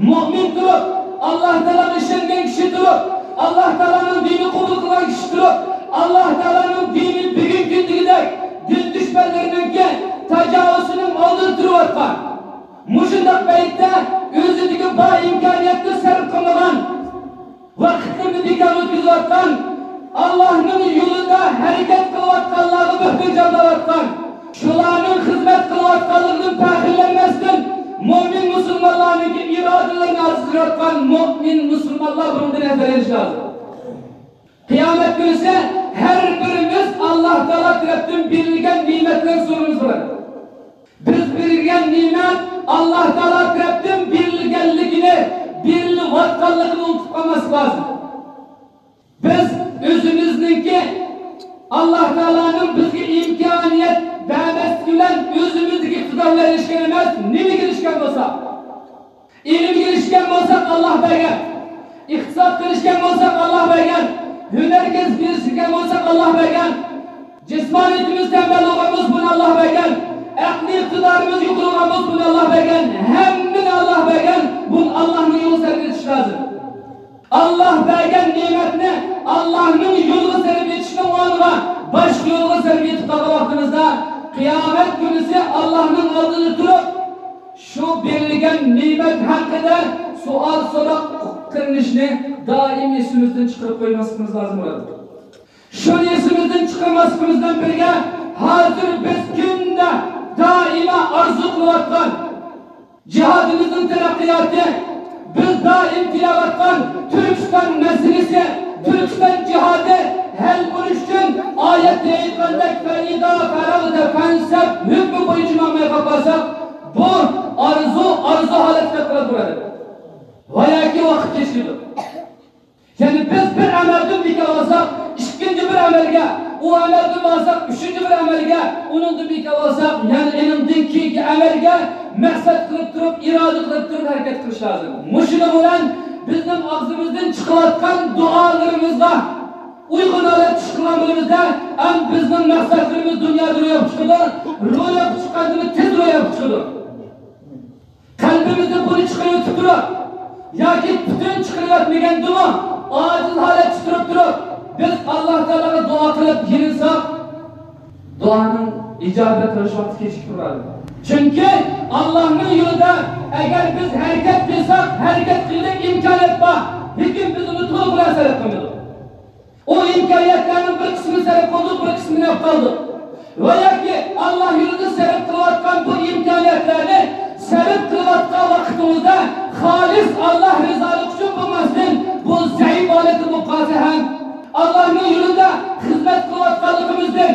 مۆمىن تۇرۇپ، ئاللاھ تائالاغا ئىشەنگەن كىشى تۇرۇپ، ئاللاھ تائالانىڭ دىنىنى قوبۇل قىلغان كىشى تۇرۇپ، ئاللاھ تائالانىڭ دىنى بۈگۈنكى كۈندىكىدەك دىن دۈشمەنلىرىنىڭكى تاجاۋۇزىنىڭ ئالدىدا تۇرۇۋاتقان، مۇشۇنداق پەيتتە ئۆزىدىكى بار ئىمكانىيەتنى سەرپ قىلمىغان، ۋاقىتلىرىنى بىكار ئۆتكۈزۈۋاتقان، ئاللاھنىڭ يولىدا ھەرىكەت قىلىۋاتقانلارغا بۆھتان چاپلاۋاتقان، شۇلارنىڭ خىزمەت قىلىۋاتقانلىقىدىن پەخىرلەنمەستىن، مۆمىن مۇسۇلمانلارنىڭكى ئىرادىلىرىنى ئازدۇرۇۋاتقان مۆمىن مۇسۇلمانلار بۇنىڭدىن ھەزەر ئېلىشى لازىم. قىيامەت كۈنىسى ھەر بىرىمىز ئاللاھ تائالا تەرەپتىن بېرىلگەن نېمەتلەر سورىمىز بولىدۇ. بىز بېرىلگەن نېمەت ئاللاھ تائالا تەرەپتىن بېرىلگەنلىكىنى، بېرىلىۋاتقانلىقىنى ئۇنتۇپ قالماسلىق لازىم. بىز ئۆزىمىزنىڭكى ئاللاھ تائالانىڭ بىزگە ئىمكانىيەت بەرمەسلىكى بىلەن ئۆزىمىزدىكى ئىقتىدار بىلەن ئېرىشكەن ئەمەس، نېمىگە ئېرىشكەن بولساق، ئىلىمگە ئېرىشكەن بولساق، ئاللاھ بەرگەن. ئىقتىسادقا ئېرىشكەن بولساق، ئاللاھ بەرگەن. ھۈنەر كەسىپكە ئېرىشكەن بولساق، ئاللاھ بەرگەن. جىسمانىيىتىمىز تەمبەل بولغان بولسا، بۇنى ئاللاھ بەرگەن. ئەقلىي ئىقتىدارىمىز يۇقىرى بولغان بولسا، بۇنى ئاللاھ بەرگەن. ھەممىنى ئاللاھ بەرگەن. بۇنى ئاللاھنىڭ يولىغا سەرپ ئېتىش لازىم. ئاللاھ بەرگەن نېمەتنى ئاللاھنىڭ يولىغا سەرپ ئېتىشنىڭ ئورنىغا باشقا يولغا سەرپ ئېتىپ قالغان ۋاقتىمىزدا، قىيامەت كۈنىسى ئاللاھنىڭ ئالدىدا تۇرۇپ، شۇ بېرىلگەن نېمەت ھەققىدە سوئال-سوراق قىلىنىشنى دائىم ئېسىمىزدىن چىقىرىپ قويماسلىقىمىز لازىم بولىدۇ. شۇنى ئېسىمىزدىن چىقارماسلىقىمىز بىلەن بىرگە، ھازىر بىز كۈندە دائىما ئارزۇ قىلىۋاتقان جىھادىمىزنىڭ تەرەققىياتى، بىز دائىم تىلەۋاتقان تۈركىستان مەسىلىسى، تۈركىستان جىھادى ھەل بولۇش ئۈچۈن ئايەتتە ئېيتقاندەك، فَإِذَا فَرَغْتَ فَانْصَبْ ھۆكمى بويىچە ماڭماي قالساق، بۇ ئارزۇ، ئارزۇ ھالەتكە قاراپ تۇرىدۇ. ۋە ياكى ۋاقىت كېچىكىدۇ. يەنى بىز بىر ئەمەلدىن بىكار بولساق، ئىككىنچى بىر ئەمەلگە، ئۇ ئەمەلدىن بولساق، ئۈچىنچى بىر ئەمەلگە، ئۇنىڭدىن بىكار بولساق، يەنى ئېنىڭدىن كېيىنكى ئەمەلگە مەقسەت قىلىپ تۇرۇپ، ئىرادە قىلىپ تۇرۇپ ھەرىكەت قىلىش لازىم. مۇشۇنىڭ بىلەن بىزنىڭ ئاغزىمىزدىن چىقىۋاتقان دۇئالىرىمىزغا ئۇيغۇن ھالەتتە چىققان بولىمىزدا، ھەم بىزنىڭ مەقسەتلىرىمىز دۇنيادا روياپقا چىقىدۇ، روياپقا چىققاندىن تېز روياپقا چىقىدۇ. قەلبىمىزدىن بۇنى چىقىرىۋېتىپ تۇرۇپ ياكى پۈتۈن چىقىرىۋەتمىگەندىمۇ، ئاجىز ھالەتتە تۇرۇپ تۇرۇپ، بىز ئاللاھ تائالاغا دۇئا قىلىپ يېلىنساق، دۇئانىڭ ئىجابەت بولۇش ۋاقتى كېچىكىپ تۇرىدۇ. چۈنكى ئاللاھنىڭ يولىدا ئەگەر بىز ھەرىكەت قىلساق، ھەرىكەت قىلغۇدەك ئىمكانىيەت بار، لېكىن بىز ئۇنى تولۇق بىلەن سەرپ قىلمىدۇق. ئۇ ئىمكانىيەتلەرنىڭ بىر قىسمىنى سەرپ قىلدۇق، بىر قىسمىنى ئەپ قالدۇق. ۋە ياكى ئاللاھ يولىدا سەرپ قىلىۋاتقان بۇ ئىمكانىيەتلەرنى سەرپ قىلىۋاتقان ۋاقتىمىزدا خالىس ئاللاھ رىزالىقى ئۈچۈن بولماستىن، بۇ زەئىپ ھالەتتە بولۇپ قالسا ھەم، ئاللاھنىڭ يولىدا خىزمەت قىلىۋاتقانلىقىمىزدىن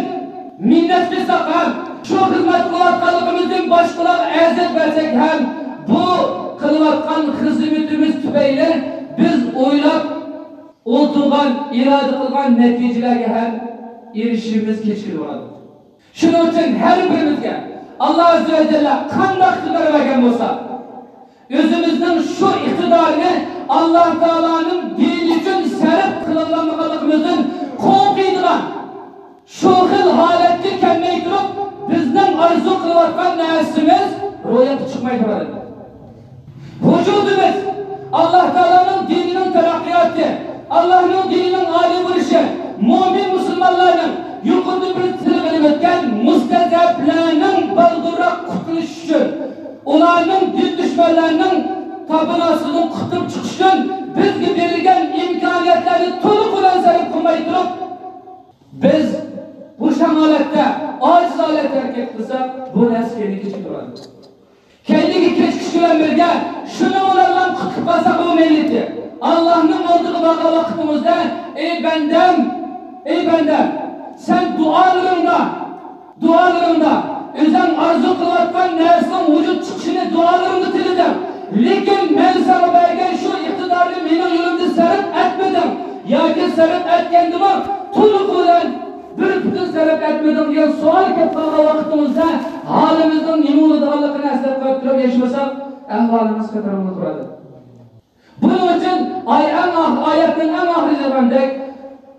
مىننەت قىلساق ھەم، شۇ خىزمەت قىلىۋاتقانلىقىمىزدىن باشقىلارغا ئەزىيەت بەرسەك ھەم، بۇ قىلىۋاتقان خىزمىتىمىز تۈپەيلى بىز ئويلاپ ئولتۇرغان، ئىرادە قىلغان نەتىجىلەرگە ھەم ئېرىشىشىمىز كېچىكىدۇ بولىدۇ. شۇنىڭ ئۈچۈن ھەر بىرىمىزگە ئاللاھ ئەززە ۋە جەللە قانداق ئىقتىدار بەرگەن بولسا، ئۆزىمىزنىڭ شۇ ئىقتىدارنى ئاللاھ تائالانىڭ دىنى ئۈچۈن سەرپ قىلالمىغانلىقىمىزدىن قورقىدىغان، شۇ خىل ھالەتكە كەلمەي تۇرۇپ، بىزنىڭ ئارزۇ قىلىۋاتقان نەرسىمىز روياپقا چىقماي تۇرىدۇ. ۋۇجۇدىمىز، ئاللاھ تائالانىڭ دىنىنىڭ تەرەققىياتى، ئاللاھنىڭ دىنىنىڭ ئالىي بولۇشى، مۆمىن مۇسۇلمانلارنىڭ، يۇقىرىدا بىز تىلغا ئېلىپ ئۆتكەن مۇستەزئەپلەرنىڭ بالدۇرراق قۇتۇلۇشى ئۈچۈن، ئۇلارنىڭ دىن دۈشمەنلەرنىڭ تاپىنىسىدىن قۇتۇلۇپ چىقىش ئۈچۈن بىزگە بېرىلگەن ئىمكانىيەتلەرنى تولۇق بىلەن سەرپ قىلماي تۇرۇپ، بىز بوشاڭ ھالەتتە، ئاجىز ھالەتتە ھەرىكەت قىلساق، بۇ نەرسە كەينىگە كېچىكىپ تۇرىدۇ. كەينىگە كېچىكىش بىلەن بىرگە، شۇنىڭ بىلەن قۇتۇلۇپ قالساق، بۇ مەيلىتى. ئاللاھنىڭ ئالدىغا بارغان ۋاقتىمىزدا، ئەي بەندەم، ئەي بەندەم، سەن دۇئالىرىڭدا، دۇئالىرىڭدا ئۆزۈڭ ئارزۇ قىلىۋاتقان نەرسىنىڭ ۋۇجۇد چىقىشىنى دۇئالىرىڭدا تىلىدىڭ. لېكىن مەن ساڭا بەرگەن شۇ ئىقتىدارنى مېنىڭ يولۇمدا سەرپ ئەتمىدىڭ. ياكى سەرپ ئەتكەندىمۇ تولۇق بىلەن بىر پۈتۈن سەرپ ئەتمىدىڭ دېگەن سوئال كەپ قالغان ۋاقتىمىزدا ھالىمىزنىڭ نېمە بولىدىغانلىقىنى ئەسلەپ قويۇپ تۇرۇپ ياشىمىساق، ئەھۋالىمىز خەتەر بولۇپ تۇرىدۇ. بۇنىڭ ئۈچۈن ئاي ئەڭ ئاخ-، ئايەتنىڭ ئەڭ ئاخىرىدا دېگەندەك،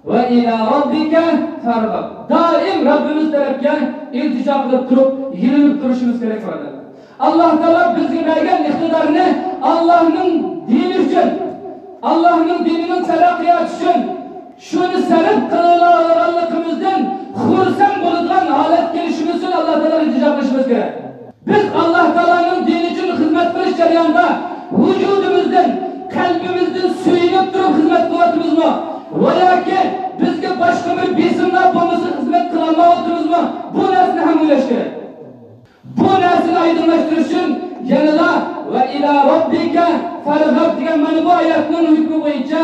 ۋە ئىلا رەببىكە فارغاب. دائىم رەببىمىز تەرەپكە ئىلتىجا قىلىپ تۇرۇپ، يېلىنىپ تۇرۇشىمىز كېرەك، بۇرادەرلەر. ئاللاھ تائالا بىزگە بەرگەن ئىقتىدارنى ئاللاھنىڭ دىنى ئۈچۈن، ئاللاھنىڭ دىنىنىڭ تەرەققىياتى ئۈچۈن شۇنى سەرپ قىلالىغانلىقىمىزدىن خۇرسەن بولىدىغان ھالەتكە كېلىشىمىز ئۈچۈن ئاللاھ تائالاغا ئىلتىجا قىلىشىمىز كېرەك. بىز ئاللاھ تائالانىڭ دىنى ئۈچۈن خىزمەت قىلىش جەريانىدا ۋۇجۇدىمىزدىن، قەلبىمىزدىن سۆيۈنۈپ تۇرۇپ خىزمەت قىلىۋاتىمىزمۇ؟ ۋە ياكى بىزگە باشقا بىر بېسىملار بولمىسا خىزمەت قىلالمايۋاتىمىزمۇ؟ بۇ نەرسىنى ھەم ئويلاش كېرەك. بۇ نەرسىنى ئايدىڭلاشتۇرۇش ئۈچۈن يەنىلا ۋە ئىلا رەببىكە فارغاب دېگەن مانا بۇ ئايەتنىڭ ھۆكمى بويىچە،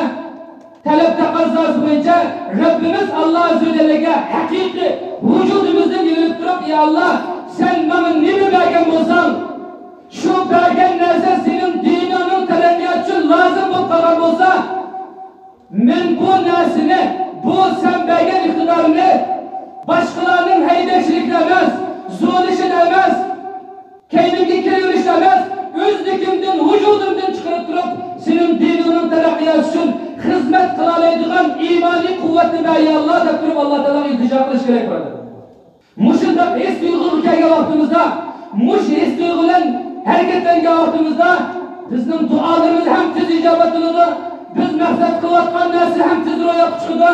تەلەپ تەقەززاسى بويىچە رەببىمىز ئاللاھ ئەززە ۋە جەللەگە ھەقىقىي ۋۇجۇدىمىزدىن يېلىنىپ تۇرۇپ، ئى ئاللاھ، سەن ماڭا نېمە بەرگەن بولساڭ، شۇ بەرگەن نەرسە سېنىڭ دىنىڭنىڭ تەرەققىياتى ئۈچۈن لازىم بولۇپ قالغان بولسا، مەن بۇ نەرسىنى، بۇ سەن بەرگەن ئىقتىدارنى باشقىلارنىڭ ھەيدەكچىلىكىدە ئەمەس، زورلىشىدا ئەمەس، كەينىمگە كىرىۋېلىشتا ئەمەس، ئۆزلۈكۈمدىن، ۋۇجۇدۇمدىن چىقىرىپ تۇرۇپ، سېنىڭ دىنىڭنىڭ تەرەققىياتى ئۈچۈن خىزمەت قىلالايدىغان ئىمانىي قۇۋۋەتنى بەر، يا ئاللاھ، دەپ تۇرۇپ، ئاللاھ تائالاغا ئىلتىجا قىلىش كېرەك، بۇرادەر. مۇشۇنداق ھېس تۇيغۇغا كەلگەن ۋاقتىمىزدا، مۇشۇ ھېس تۇيغۇ بىلەن ھەرىكەتلەنگەن ۋاقتىمىزدا، بىزنىڭ دۇئالىرىمىز ھەم تېز ئىجابەت قىلىدۇ، بىز مەقسەت قىلىۋاتقان نەرسە ھەم تېز روياپقا چىقىدۇ.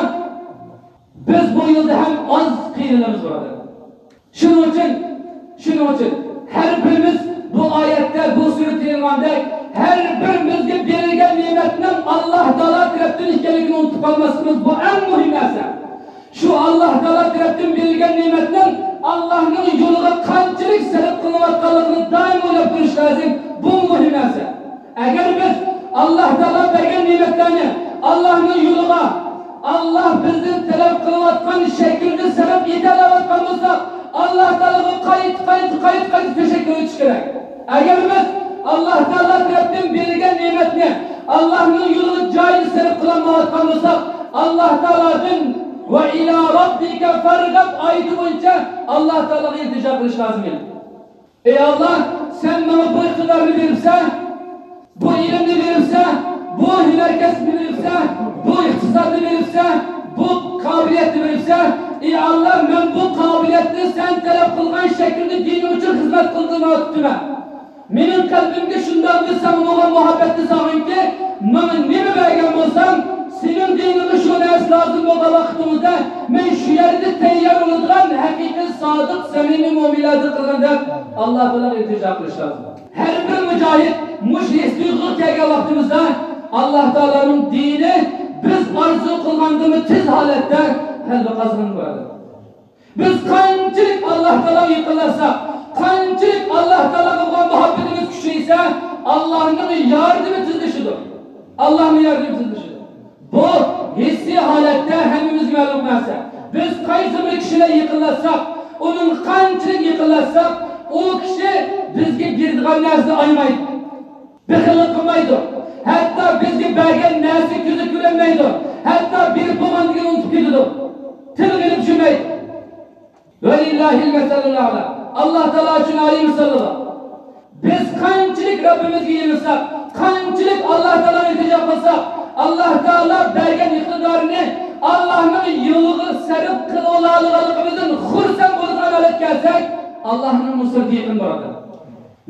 بىز بۇ يولدا ھەم ئاز قىينىلىمىز، بۇرادەر. شۇنىڭ ئۈچۈن، شۇنىڭ ئۈچۈن ھەر بىرىمىز بۇ ئايەتتە، بۇ سۈرىدە دېيىلگەندەك، ھەر بىرىمىزگە بېرىلگەن نېمەتنىڭ ئاللاھ تائالا تەرەپتىن ئىكەنلىكىنى ئۇنتۇپ قالماسلىقىمىز، بۇ ئەڭ مۇھىم نەرسە. شۇ ئاللاھ تائالا تەرەپتىن بېرىلگەن نېمەتنىڭ ئاللاھنىڭ يولىغا قانچىلىك سەرپ قىلىنىۋاتقانلىقىنى دائىم ئويلاپ تۇرۇش لازىم. بۇ مۇھىم نەرسە. ئەگەر بىز ئاللاھ تائالا بەرگەن نېمەتلەرنى ئاللاھنىڭ يولىغا، ئاللاھ بىزدىن تەلەپ قىلىۋاتقان شەكىلدە سەرپ ئېتەلەۋاتقان بولساق، ئاللاھ تائالاغا قايتا، قايتا، قايتا، قايتا تەشەككۈر ئېيتىش كېرەك. ئەگەر بىز ئاللاھ تائالا تەرەپتىن بېرىلگەن نېمەتنى ئاللاھنىڭ يولىغا جايىدا سەرپ قىلالمايۋاتقان بولساق، ئاللاھ تائالادىن ۋە ئىلا رەببىكە فارغەب ئايىتى بويىچە ئاللاھ تائالاغا ئىلتىجا قىلىش لازىم. ئەي ئاللاھ، سەن ماڭا بۇ ئىقتىدارنى بېرىپسەن، بۇ ئىلىمنى بېرىپسەن، بۇ ھۈنەر كەسىپنى بېرىپسەن، بۇ ئىقتىسادنى بېرىپسەن، بۇ قابىلىيەتنى بېرىپسەن. ئەي ئاللاھ، مەن بۇ قابىلىيەتنى سەن تەلەپ قىلغان شەكىلدە دىنىڭ ئۈچۈن خىزمەت قىلدۇرمايۋاتىمەن. مېنىڭ قەلبىمگە شۇنداق بىر ساڭا بولغان مۇھەببەتنى سالغىنكى، ماڭا نېمە بەرگەن بولساڭ، سېنىڭ دىنىڭغا شۇ نەرسە لازىم بولغان ۋاقتىڭىزدا، مەن شۇ يەردە تەييار بولىدىغان ھەقىقىي سادىق، سەمىمىي مۆمىنلەردىن قىلغىن دەپ، ئاللاھ تائالاغا ئىلتىجا قىلىش لازىم. ھەر بىر مۇجاھىد مۇشۇ ھېس تۇيغۇغا كەلگەن ۋاقتىمىزدا، ئاللاھ تائالانىڭ دىنى بىز ئارزۇ قىلغاندىنمۇ تېز ھالەتتە غەلىبە قازىنىدۇ، بۇرادەر. بىز قانچىلىك ئاللاھ تائالاغا يېقىنلاشساق، قانچىلىك ئاللاھ تائالاغا بولغان مۇھەببىتىمىز كۈچىيسە، ئاللاھنىڭ ياردىمى تېزلىشىدۇ. ئاللاھنىڭ ياردىمى تېزلىشىدۇ. بۇ ھېسسىي ھالەتتە ھەممىمىزگە مەلۇم نەرسە. بىز قايسى بىر كىشىلەر يېقىنلاشساق، ئۇنىڭغا قانچىلىك يېقىنلاشساق، ئۇ كىشى بىزگە بېرىدىغان نەرسىنى ئايىمايدۇ. بېخىللىق قىلمايدۇ. ھەتتا بىزگە بەرگەن نەرسە كۆزى كۆرۈنمەيدۇ. ھەتتا بېرىپ بولغاندىن كېيىن ئۇنتۇپ كېتىدۇ. تىلغا ئېلىپ چۈشۈرمەيدۇ. ۋەلىللاھىل مەسەلۇل ئەئلا. ئاللاھ تائالا ئۈچۈن ئالىي مىساللار. بىز قانچىلىك رەببىمىزگە يېلىنساق، قانچىلىك ئاللاھ تائالاغا ئىلتىجا قىلساق، ئاللاھ تائالا بەرگەن ئىقتىدارنى ئاللاھنىڭ يولىغا سەرپ قىلىۋالالىغانلىقىمىزدىن خۇرسەن بولىدىغان ھالەتكە كەلسەك، ئاللاھنىڭ نۇسرىتى يېقىن، بۇرادەر.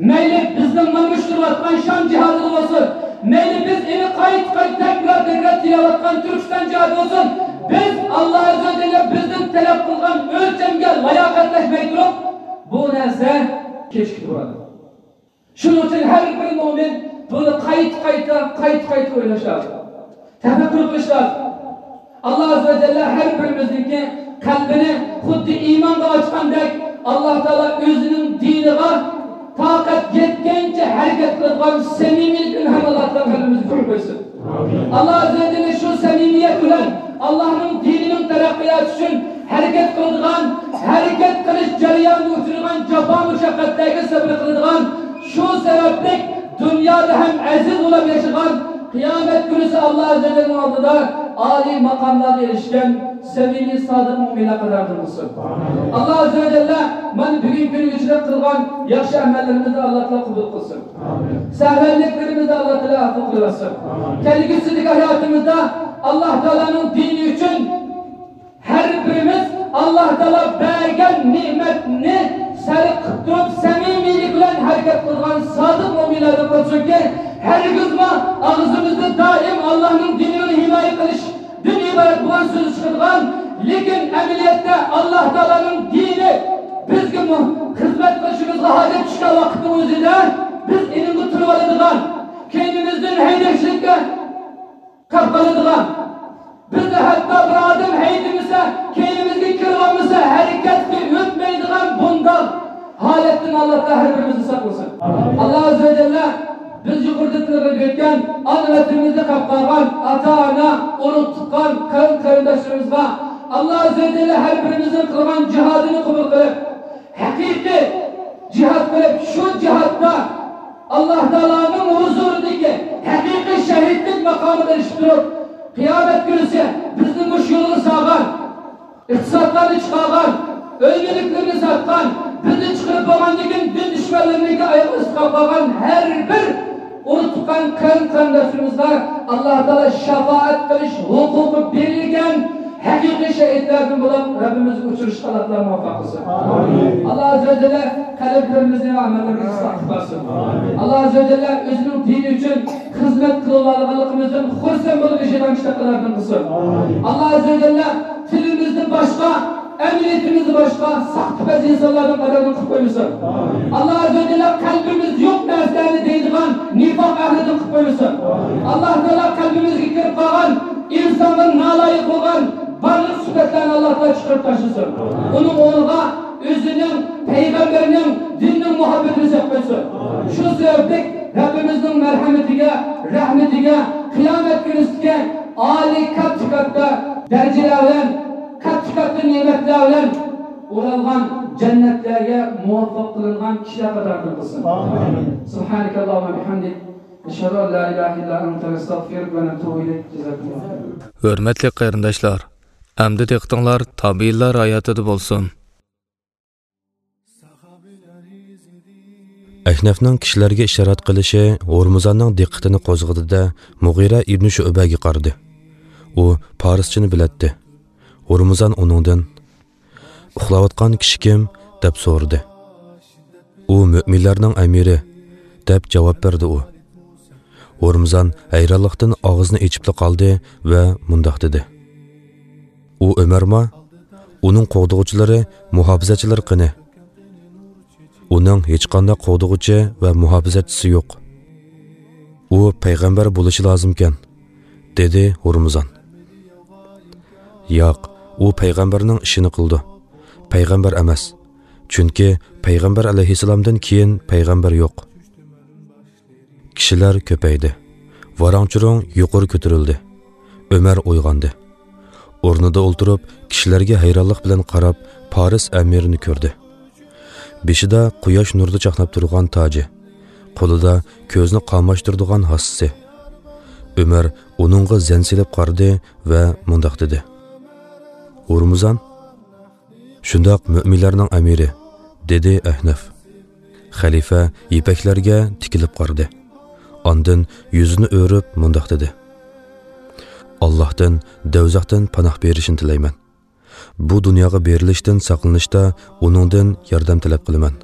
مەيلى بىزنىڭ مانا مۇشۇ تۇرۇۋاتقان شام جىھادىدا بولسۇن، مەيلى بىز ئېنى قايتا-قايتا، تەكرار-تەكرار تىلەۋاتقان تۈركىستان جىھادى بولسۇن، بىز ئاللاھ ئەززە ۋە جەللە بىزدىن تەلەپ قىلغان ئۆلچەمگە لاياقەتلەشمەي تۇرۇپ، بۇ نەرسە كېچىكىپ تۇرىدۇ. شۇنىڭ ئۈچۈن ھەر بىر مۆمىن بۇنى قايتا-قايتا، قايتا-قايتا ئويلاش لازىم. تەپەككۇر قىلىش لازىم. ئاللاھ ئەززە ۋە جەللە ھەر بىرىمىزنىڭكى قەلبىنى خۇددى ئىمانغا ئاچقاندەك، ئاللاھ تائالا ئۆزىنىڭ دىنىغا تاقەت يەتكەنچە ھەرىكەت قىلىدىغان سەمىمىيلىك ئىلھام ئاللاھ تائالا قەلبىمىزگە قويۇپ قويسۇن. ئاللاھ ئەززە ۋە جەللە شۇ سەمىمىيەت بىلەن ئاللاھنىڭ دىنىنىڭ تەرەققىياتى ئۈچۈن ھەرىكەت قىلىدىغان، ھەرىكەت قىلىش جەريانىدا ئۇچرىغان جاپا مۇشەققەتلەرگە سەبرى قىلىدىغان، شۇ سەۋەبلىك دۇنيادا ھەم ئەزىز بولۇپ ياشىغان، قىيامەت كۈنىسى ئاللاھ ئەززە ۋە جەللىنىڭ ئالدىدا ئالىي ماقاملارغا ئېرىشكەن سەمىمىي، سادىق مۆمىنلەر قاتارىدىن قىلسۇن. ئاللا ئەززە ۋە جەللە مانا بۈگۈنكى كۈنگىچە قىلغان ياخشى ئەمەللىرىمىزنى ئاللا تائالا قوبۇل قىلسۇن. سەھۋەنلىكلىرىمىزنى ئاللا تائالا ئەپۇ قىلىۋەتسۇن. كەلگۈسىدىكى ھاياتىمىزدا ئاللا تائالانىڭ دىنى ئۈچۈن ھەر بىرىمىز ئاللا تائالا بەرگەن نېمەتنى سەرپ قىلىپ تۇرۇپ، سەمىمىيلىك بىلەن ھەرىكەت قىلىدىغان سادىق مۆمىنلەردىن قىلسۇنكى، ھەرگىزمۇ ئاغزىمىزدا دائىم ئاللانىڭ دىنىنى ھىمايە قىلىشتىن ئىبارەت بولغان سۆز چىقىدىغان، لېكىن ئەمەلىيەتتە ئاللا تائالانىڭ دىنى بىزگە مۇ-، خىزمەت قىلىشىمىزغا ھاجەت چۈشكەن ۋاقىتنىڭ ئۆزىدە بىز ئېنىڭغا تۇرۇۋالىدىغان، كەينىمىزدىن ھەيدەكچىلىككە قاپ قالىدىغان، بىزنى ھەتتا بىر ئادەم ھەيدىمىسە، كەينىمىزگە كىرىۋالمىسا، ھەرىكەتكە ئۆتمەيدىغان بۇنداق ھالەتتىن ئاللا تائالا ھەر بىرىمىزنى ساقلىسۇن. ئاللا ئەززە ۋە جەللە بىز يۇقىرىدا تىلغا ئۆتكەن ئانا ۋەتىنىمىزنى قاپ قالغان، ئاتا-ئانا، ئۇرۇق-تۇغقان، قېرىن-قېرىنداشلىرىمىزغا ئاللا ئەززە ۋە جەللە ھەر بىرىمىزنىڭ قىلغان جىھادىنى قوبۇل قىلىپ، ھەقىقىي جىھاد قىلىپ، شۇ جىھادتا ئاللا تائالانىڭ ھۇزۇرىدىكى ھەقىقىي شەھىدلىك ماقامىغا ئېرىشىپ تۇرۇپ، قىيامەت كۈنىسى بىزنى مۇشۇ يولغا سالغان، ئىقتىسادلارنى چىقارغان، ئۆي مۈلۈكلىرىنى ساتقان، بىزنى چىقىرىپ بولغاندىن كېيىن دىن دۈشمەنلىرىنىڭكى ئايىغى ئىستىقاپ قالغان ھەر بىر ئۇرۇق-تۇغقان، قېرىن-قېرىنداشلىرىمىزغا ئاللا تائالا شاپائەت قىلىش ھوقۇقى بېرىلگەن ھەقىقىي شەھىدلەردىن بولۇپ، رەببىمىزگە ئۇچرىشىشقا ئاللا تائالا مۇۋەپپەق قىلسۇن. ئاللا ئەززە ۋە جەللە قەلبلىرىمىزنى ۋە ئەمەللىرىمىزنى ئىسلاھ قىلىپ بەرسۇن. ئاللا ئەززە ۋە جەللە ئۆزىنىڭ دىنى ئۈچۈن خىزمەت قىلىۋالغانلىقىمىزدىن خۇرسەن بولۇپ ياشايدىغان كىشىلەرنىڭ قاتارىدىن قىلسۇن. ئاللا ئەززە ۋە جەللە تىلىمىزنى باشقا، ئەمەلىيىتىمىزنى باشقا، ساختىپەز ئىنسانلاردىن قاتارىدىن قىلىپ قويمىسۇن. ئاللا ئەززە ۋە جەللە قەلبىمىز يوق نەرسىلەرنى دەيدىغان نىفاق ئەھلىدىن قىلىپ قويمىسۇن. ئاللا تائالا قەلبىمىزگە كىرىپ قالغان ئىنسانغا نالايىق بولغان بارلىق سۈپەتلەرنى ئاللا تائالا چىقىرىپ تاشلىسۇن. ئۇنىڭ ئورنىغا ئۆزىنىڭ، پەيغەمبىرىنىڭ، دىننىڭ مۇھەببىتىنى سېلىپ قويسۇن. شۇ سەۋەبلىك رەببىمىزنىڭ مەرھەمىتىگە، رەھمىتىگە، قىيامەت كۈنىسىدىكى ئالىي كاتتا-كاتتا دەرىجىلەر بىلەن، كاتتا-كاتتا نېمەتلەر بىلەن ئورالغان جەننەتلەرگە مۇۋەپپەق قىلىنغان كىشىلەر قاتارىدىن قىلسۇن. ئامىن. سبحانك اللهم وبحمدك، نشهد أن لا إله إلا أنت، نستغفرك ونتوب إليك. جزاكم الله خيرا. ھۆرمەتلىك قېرىنداشلار، ئەمدى دىققىتىڭلار تابىئىنلار ھاياتىدا بولسۇن. ئەھنەفنىڭ كىشىلەرگە ئىشارەت قىلىشى ھورمۇزاننىڭ دىققىتىنى قوزغىدى-دە، مۇغىرە ئىبنى شۇئبەگە قارىدى. ئۇ پارسچىنى بىلەتتى. ھورمۇزان ئۇنىڭدىن، «ئۇخلاۋاتقان كىشى كىم؟» دەپ سورىدى. «ئۇ مۆمىنلەرنىڭ ئەمىرى»، دەپ جاۋاب بەردى ئۇ. ھورمۇزان ھەيرانلىقتىن ئاغزىنى ئېچىپلا قالدى ۋە مۇنداق دېدى: «ئۇ ئۆمەرما؟ ئۇنىڭ قوغدىغۇچىلىرى، مۇھاپىزەتچىلىرى قېنى؟» «ئۇنىڭ ھېچقانداق قوغدىغۇچى ۋە مۇھاپىزەتچىسى يوق. ئۇ پەيغەمبەر بولۇشى لازىمكەن»، دېدى ھورمۇزان. «ياق، ئۇ پەيغەمبەرنىڭ ئىشىنى قىلىدۇ. پەيغەمبەر ئەمەس. چۈنكى پەيغەمبەر ئەلەيھىسسالامدىن كېيىن پەيغەمبەر يوق.» كىشىلەر كۆپەيدى. ۋاراڭ-چۇرۇڭ يۇقىرى كۆتۈرۈلدى. ئۆمەر ئويغاندى. ئورنىدا ئولتۇرۇپ، كىشىلەرگە ھەيرانلىق بىلەن قاراپ، پارس ئەمىرىنى كۆردى. بېشىدا قۇياش نۇرىدا چاقناپ تۇرغان تاجى، قولىدا كۆزنى قاماشتۇرىدىغان ھاسىسى. ئۆمەر ئۇنىڭغا زەن سېلىپ قارىدى ۋە مۇنداق دېدى: «ھورمۇزان؟» «شۇنداق، مۆمىنلەرنىڭ ئەمىرى»، دېدى ئەھنەف. خەلىپە يىپەكلەرگە تىكىلىپ قارىدى. ئاندىن يۈزىنى ئۆرۈپ مۇنداق دېدى: «ئاللاھتىن دوزاختىن پاناھ بېرىشىنى تىلەيمەن. بۇ دۇنياغا بېرىلىشتىن ساقلىنىشتا ئۇنىڭدىن ياردەم تەلەپ قىلىمەن.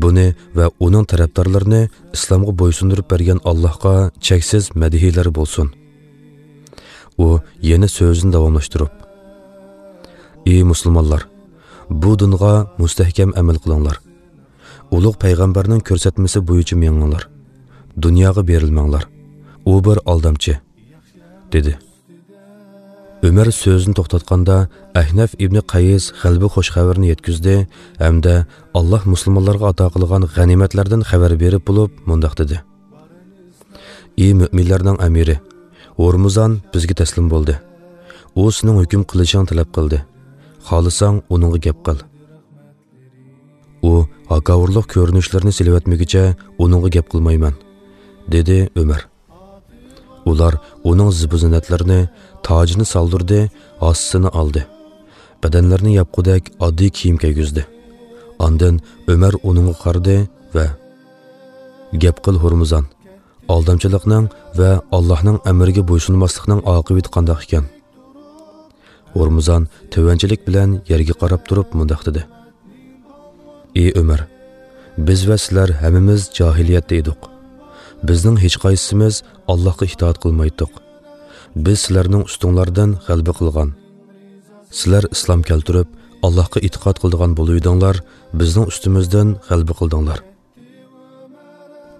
بۇنى ۋە ئۇنىڭ تەرەپدارلىرىنى ئىسلامغا بويسۇندۇرۇپ بەرگەن ئاللاھقا چەكسىز مەدھىيەلەر بولسۇن.» ئۇ يەنە سۆزىنى داۋاملاشتۇرۇپ: «ئى مۇسۇلمانلار، بۇ دىنغا مۇستەھكەم ئەمەل قىلىڭلار. ئۇلۇغ پەيغەمبەرنىڭ كۆرسەتمىسى بويىچە مېڭىڭلار. دۇنياغا بېرىلمەڭلار. ئۇ بىر ئالدامچى»، دېدى. ئۆمەر سۆزىنى توختاتقاندا، ئەھنەف ئىبنى قەيس غەلىبە خۇش خەۋىرىنى يەتكۈزدى ھەمدە ئاللاھ مۇسۇلمانلارغا ئاتا قىلغان غەنىيمەتلەردىن خەۋەر بېرىپ بولۇپ مۇنداق دېدى: «ئى مۆمىنلەرنىڭ ئەمىرى، ھورمۇزان بىزگە تەسلىم بولدى. ئۇ سېنىڭ ھۆكۈم قىلىشىڭنى تەلەپ قىلدى. خالىساڭ ئۇنىڭغا گەپ قىل.» «ئۇ ھاكاۋۇرلۇق كۆرۈنۈشلىرىنى سېلىۋەتمىگۈچە ئۇنىڭغا گەپ قىلمايمەن»، دېدى ئۆمەر. ئۇلار ئۇنىڭ زىبۇ-زىننەتلىرىنى، تاجىنى سالدۇردى، ھاسىسىنى ئالدى. بەدەنلىرىنى ياپقۇدەك ئاددىي كىيىم كىيگۈزدى. ئاندىن ئۆمەر ئۇنىڭغا قارىدى ۋە، «گەپ قىل، ھورمۇزان، ئالدامچىلىقنىڭ ۋە ئاللاھنىڭ ئەمرىگە بويسۇنماسلىقنىڭ ئاقىۋىتى قانداق ئىكەن؟» ھورمۇزان تۆۋەنچىلىك بىلەن يەرگە قاراپ تۇرۇپ مۇنداق دېدى: «ئى ئۆمەر، بىز ۋە سىلەر ھەممىمىز جاھىلىيەتتە ئىدۇق. بىزنىڭ ھېچقايسىمىز ئاللاھقا ئىتائەت قىلمايتتۇق. بىز سىلەرنىڭ ئۈستۈڭلاردىن غەلىبە قىلغان. سىلەر ئىسلام كەلتۈرۈپ، ئاللاھقا ئېتىقاد قىلىدىغان بولۇۋىدىڭلار، بىزنىڭ ئۈستىمىزدىن غەلىبە قىلدىڭلار.»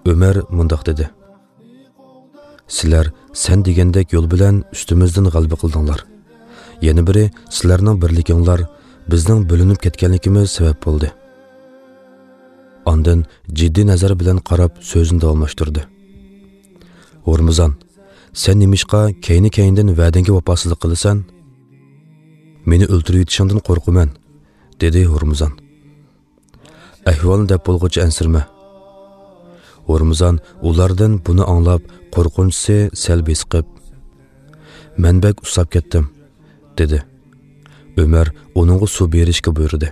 ئۆمەر مۇنداق دېدى: «سىلەر سەن دېگەندەك يول بىلەن ئۈستىمىزدىن غەلىبە قىلدىڭلار. يەنە بىرى، سىلەرنىڭ بىرلىكىڭلار بىزنىڭ بۆلۈنۈپ كەتكەنلىكىمىز سەۋەب بولدى.» ئاندىن جىددىي نەزەر بىلەن قاراپ سۆزىنى داۋاملاشتۇردى: «ھورمۇزان، سەن نېمىشقا كەينى-كەينىدىن ۋەدەڭگە ۋاپاسىزلىق قىلىسەن؟ مېنى ئۆلتۈرۈۋېتىشىڭدىن قورقىمەن»، دېدى ھورمۇزان. «ئەھۋالنى دەپ بولغۇچە ئەنسىرىمە.» ھورمۇزان ئۇلاردىن بۇنى ئاڭلاپ، قورقۇنچىسى سەل بېسىقىپ، «مەن بەك ئۇسساپ كەتتىم»، دېدى. ئۆمەر ئۇنىڭغا سۇ بېرىشكە بۇيرۇدى.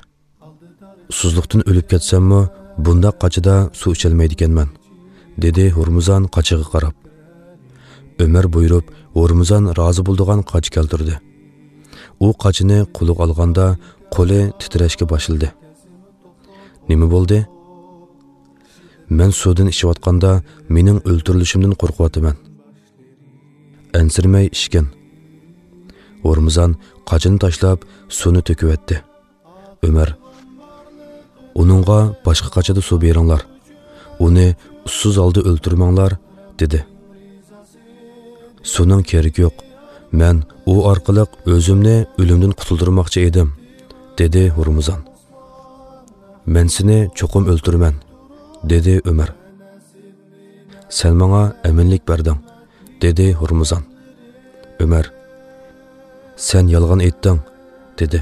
«ئۇسسۇزلۇقتىن ئۆلۈپ كەتسەممۇ، بۇنداق قاچىدا سۇ ئىچەلمەيدىكەنمەن»، دېدى ھورمۇزان قاچىغا قاراپ. ئۆمەر بۇيرۇپ، ھورمۇزان رازى بولىدىغان قاچا كەلتۈردى. ئۇ قاچىنى قولىغا ئالغاندا، قولى تىترەشكە باشلىدى. «نېمە بولدى؟» «مەن سۇدىن ئىچىۋاتقاندا، مېنىڭ ئۆلتۈرۈلۈشۈمدىن قورقۇۋاتىمەن.» «ئەنسىرىمەي ئىچكىن.» ھورمۇزان قاچىنى تاشلاپ، سۇنى تۆكۈۋەتتى. ئۆمەر: «ئۇنىڭغا باشقا قاچىدا سۇ بېرىڭلار. ئۇنى ئۇسسۇز ھالدا ئۆلتۈرمەڭلار»، دېدى. «سۇنىڭ كېرىكى يوق. مەن ئۇ ئارقىلىق ئۆزۈمنى ئۆلۈمدىن قۇتۇلدۇرماقچى ئىدىم»، دېدى ھورمۇزان. «مەن سېنى چوقۇم ئۆلتۈرىمەن»، دېدى ئۆمەر. «سەن ماڭا ئەمىنلىك بەردىڭ»، دېدى ھورمۇزان. ئۆمەر: «سەن يالغان ئېيتتىڭ»، دېدى.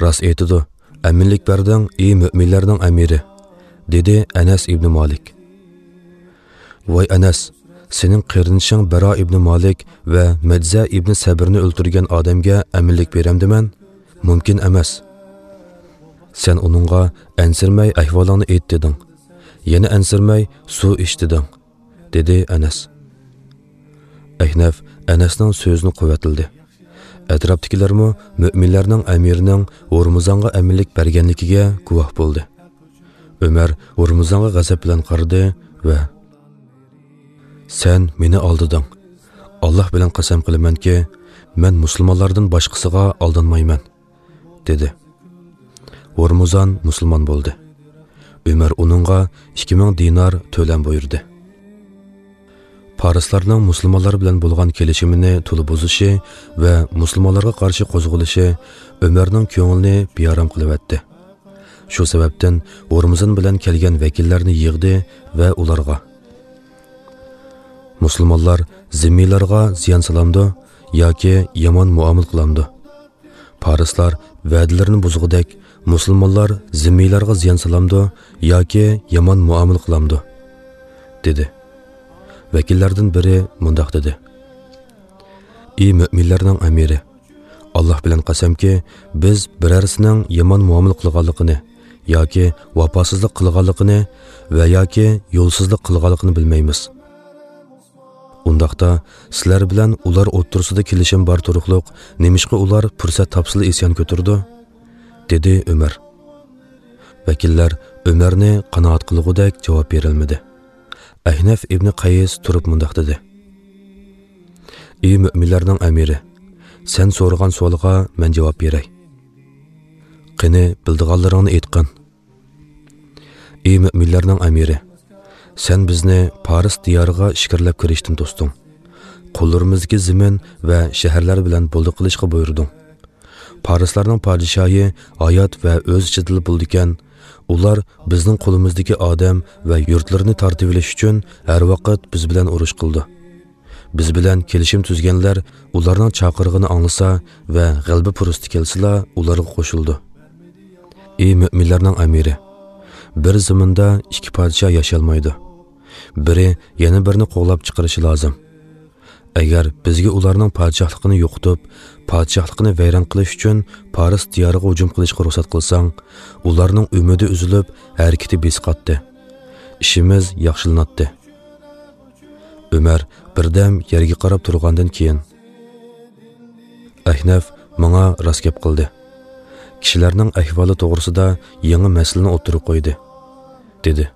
«راست ئېيتىدۇ، ئەمىنلىك بەردىڭ، ئى مۆمىنلەرنىڭ ئەمىرى»، دېدى ئەنەس ئىبنى مالىك. «ۋاي ئەنەس، سېنىڭ قېرىندىشىڭ بەرا ئىبنى مالىك ۋە مەجزە ئىبنى سەبىرنى ئۆلتۈرگەن ئادەمگە ئەمىنلىك بېرەمدىمەن؟ مۇمكىن ئەمەس. سەن ئۇنىڭغا ئەنسىرىمەي ئەھۋالىڭنى ئېيت دېدىڭ. يەنە ئەنسىرىمەي سۇ ئىچ دېدىڭ»، دېدى ئەنەس. ئەھنەف ئەنەسنىڭ سۆزىنى قۇۋۋەتلىدى. ئەتراپتىكىلەرمۇ مۆمىنلەرنىڭ ئەمىرىنىڭ ھورمۇزانغا ئەمىنلىك بەرگەنلىكىگە گۇۋاھ بولدى. ئۆمەر ھورمۇزانغا غەزەپ بىلەن قارىدى ۋە: «سەن مېنى ئالدىدىڭ. ئاللاھ بىلەن قەسەم قىلىمەنكى، مەن مۇسۇلمانلاردىن باشقىسىغا ئالدانمايمەن»، دېدى. ھورمۇزان مۇسۇلمان بولدى. ئۆمەر ئۇنىڭغا ئىككى مىڭ دىنار تۆلەم بۇيرۇدى. پارسلارنىڭ مۇسۇلمانلار بىلەن بولغان كېلىشىمىنى تولا بۇزۇشى ۋە مۇسۇلمانلارغا قارشى قوزغىلىشى ئۆمەرنىڭ كۆڭلىنى بىئارام قىلىۋەتتى. شۇ سەۋەبتىن ھورمۇزان بىلەن كەلگەن ۋەكىللەرنى يىغدى ۋە ئۇلارغا: «مۇسۇلمانلار زىممىيلارغا زىيان سالامدۇ ياكى يامان مۇئامىلە قىلامدۇ؟ پارسلار ۋەدىلىرىنى بۇزغۇدەك، مۇسۇلمانلار زىممىيلارغا زىيان سالامدۇ ياكى يامان مۇئامىلە قىلامدۇ؟» دېدى. ۋەكىللەردىن بىرى مۇنداق دېدى: «ئى مۆمىنلەرنىڭ ئەمىرى، ئاللاھ بىلەن قەسەمكى، بىز بىرەرسىنىڭ يامان مۇئامىلە قىلغانلىقىنى ياكى ۋاپاسىزلىق قىلغانلىقىنى ۋە ياكى يولسىزلىق قىلغانلىقىنى بىلمەيمىز. ئۇنداقتا، سىلەر بىلەن ئۇلار ئوتتۇرىسىدا كېلىشىم بار تۇرۇقلۇق، نېمىشقا ئۇلار پۇرسەت تاپسىلا ئىسيان كۆتۈرىدۇ؟» دېدى ئۆمەر. ۋەكىللەر ئۆمەرنى قانائەت قىلغۇدەك جاۋاب بېرەلمىدى. ئەھنەف ئىبنى قەيس تۇرۇپ مۇنداق دېدى: «ئى مۆمىنلەرنىڭ ئەمىرى، سەن سورىغان سوئالغا مەن جاۋاب بېرەي. قېنى، بىلىدىغانلىرىڭنى ئېيتقىن.» «ئى مۆمىنلەرنىڭ ئەمىرى، سەن بىزنى پارس دىيارىغا ئىچكىرىلەپ كىرىشتىن توستۇڭ. قوللىرىمىزدىكى زېمىن ۋە شەھەرلەر بىلەن بولدى قىلىشقا بۇيرۇدۇڭ. پارسلارنىڭ پادىشاھى ھايات ۋە ئۆز ئىچىدىلا بولىدىكەن، ئۇلار بىزنىڭ قولىمىزدىكى ئادەم ۋە يۇرتلىرىنى تارتىۋېلىش ئۈچۈن ھەر ۋاقىت بىز بىلەن ئۇرۇش قىلىدۇ. بىز بىلەن كېلىشىم تۈزگەنلەر ئۇلارنىڭ چاقىرىقىنى ئاڭلىسا ۋە غەلىبە پۇرسىتى كەلسىلا، ئۇلارغا قوشۇلىدۇ. ئى مۆمىنلەرنىڭ ئەمىرى، بىر زېمىندا ئىككى پادىشاھ ياشىيالمايدۇ. بىرى يەنە بىرىنى قوغلاپ چىقىرىشى لازىم. ئەگەر بىزگە ئۇلارنىڭ پادىشاھلىقىنى يوقىتىپ، پادىشاھلىقىنى ۋەيران قىلىش ئۈچۈن پارس دىيارىغا ھۇجۇم قىلىشقا رۇخسەت قىلساڭ، ئۇلارنىڭ ئۈمىدى ئۈزۈلۈپ، ھەرىكىتى بېسىقاتتى. ئىشىمىز ياخشىلىناتتى. ئۆمەر بىردەم يەرگە قاراپ تۇرغاندىن كېيىن، ئەھنەف ماڭا راست گەپ قىلدى. كىشىلەرنىڭ ئەھۋالى توغرىسىدا يېڭى مەسىلىنى ئوتتۇرىغا قويدى، دېدى.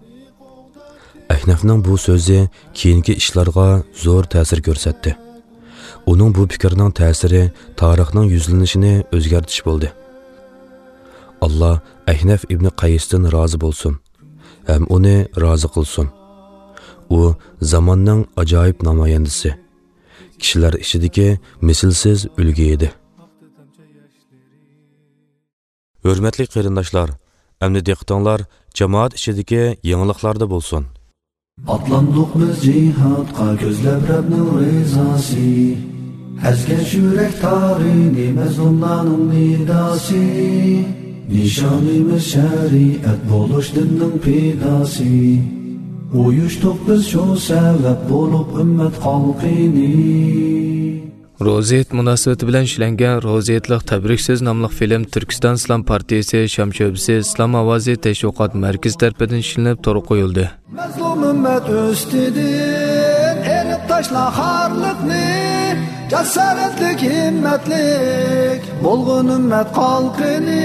ئەھنەفنىڭ بۇ سۆزى كېيىنكى ئىشلارغا زور تەسىر كۆرسەتتى. ئۇنىڭ بۇ پىكرىنىڭ تەسىرى تارىخنىڭ يۈزلىنىشىنى ئۆزگەرتىش بولدى. ئاللا ئەھنەف ئىبنى قەيستىن رازى بولسۇن ھەم ئۇنى رازى قىلسۇن. ئۇ زاماننىڭ ئاجايىپ نامايەندىسى، كىشىلەر ئىچىدىكى مىسلىسىز ئۈلگە ئىدى. ھۆرمەتلىك قېرىنداشلار، ئەمدى دىققىتىڭلار جامائەت ئىچىدىكى يېڭىلىقلاردا بولسۇن. ئاتلاندۇق بىز جىھادقا كۆزلەپ رەبنىڭ رىزاسى. ئەزگەن يۈرەك تارىنى مەزلۇملارنىڭ نىداسى. نىشانىمىز شەرىئەت بولۇش دىننىڭ پىداسى. ئۇيۇشتۇق بىز شۇ سەۋەب بولۇپ ئۈممەت خەلقىنى. روزى ھېيت مۇناسىۋىتى بىلەن ئىشلەنگەن روزى ھېيتلىق تەبرىك سۆز ناملىق فىلىم تۈركىستان ئىسلام پارتىيىسى، شام شۆبىسى، ئىسلام ئاۋازى تەشۋىقات مەركىزى تەرىپىدىن ئىشلىنىپ تورغا قويۇلدى. مەزلۇم ئۈممەت ئۈستىدىن ئېلىپ تاشلا خارلىقنى، جاسارەتلىك، ھىممەتلىك بولغىن ئۈممەت خەلقىنى.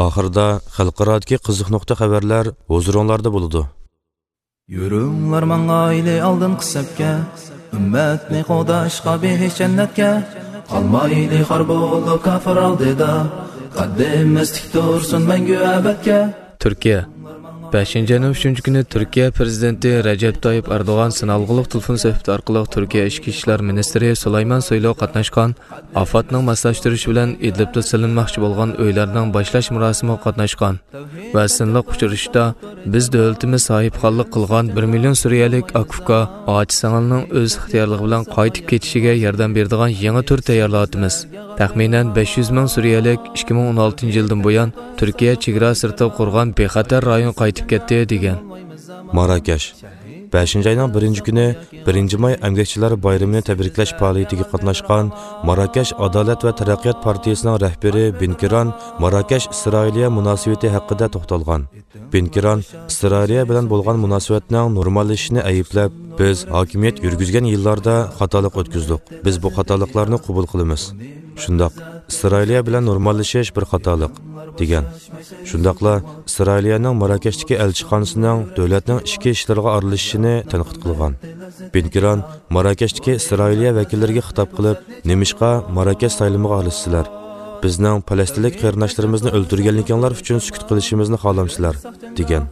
ئاخىرىدا خەلقئارادىكى قىزىق نۇقتا خەۋەرلەر ھۇزۇرۇڭلاردا بولىدۇ. يۈرۈڭلار ماڭايلى ئالدىنقى سەپكە، ئۈممەتنى قوغداشقا بېھىش جەننەتكە. قالمايلى خار بولۇپ كاپىر ئالدىدا، قەددىمىز تىك تۇرسۇن مەڭگۈ ئەبەدكە. تۈركىيە. بەشىنچى ئاينىڭ ئۈچىنچى كۈنى تۈركىيە پىرېزىدېنتى رەجەپ تايىپ ئەردوغان سىنئالغۇلۇق تېلېفون سۆھبىتى ئارقىلىق تۈركىيە ئىچكى ئىشلار مىنىستىرى سۇلايمان سويلۇغا قاتناشقان ئاپەتنىڭ ماسلاشتۇرۇشى بىلەن ئىدلىبتا سېلىنماقچى بولغان ئۆيلەرنىڭ باشلاش مۇراسىمىغا قاتناشقان ۋە سىنلىق ئۇچرىشىشتا، بىز دۆلىتىمىز ساھىبخانلىق قىلغان بىر مىليون سۈرىيەلىك ئاكا-ئۇكا، ئاچا-سىڭىلنىڭ ئۆز ئىختىيارلىقى بىلەن قايتىپ كېتىشىگە ياردەم بېرىدىغان يېڭى تۈر تەييارلاۋاتىمىز. تەخمىنەن بەش يۈز مىڭ سۈرىيەلىك ئىككى مىڭ ئون ئالتىنچى يىلدىن بۇيان تۈركىيە چېگرا سىرتىغا قۇرغان بىخەتەر رايونغا قايتىپ كەتتى، دېگەن. ماراكەش. بەشىنچى ئاينىڭ بىرىنچى كۈنى بىرىنچى ماي ئەمگەكچىلەر بايرىمىنى تەبرىكلەش پائالىيىتىگە قاتناشقان ماراكەش ئادالەت ۋە تەرەققىيات پارتىيىسىنىڭ رەھبىرى بىن كىران ماراكەش ئىسرائىلىيە مۇناسىۋىتى ھەققىدە توختالغان. بىن كىران ئىسرائىلىيە بىلەن بولغان مۇناسىۋەتنىڭ نورماللىشىشىنى ئەيىبلەپ، بىز ھاكىمىيەت يۈرگۈزگەن يىللاردا خاتالىق ئۆتكۈزدۇق. بىز بۇ خاتالىقلارنى قوبۇل قىلىمىز. شۇنداق، ئىسرائىلىيە بىلەن نورماللىشىش بىر خاتالىق، دېگەن. شۇنداقلا ئىسرائىلىيەنىڭ ماراكەشتىكى ئەلچىخانىسىنىڭ دۆلەتنىڭ ئىچكى ئىشلىرىغا ئارىلىشىشىنى تەنقىد قىلغان. بىن كىران ماراكەشتىكى ئىسرائىلىيە ۋەكىللىرىگە خىتاب قىلىپ، نېمىشقا ماراكەش سايلىمىغا ئارىلىشىسىلەر؟ بىزنىڭ پەلەستىنلىك قېرىنداشلىرىمىزنى ئۆلتۈرگەنلىكىڭلار ئۈچۈن سۈكۈت قىلىشىمىزنى خالامسىلەر؟ دېگەن.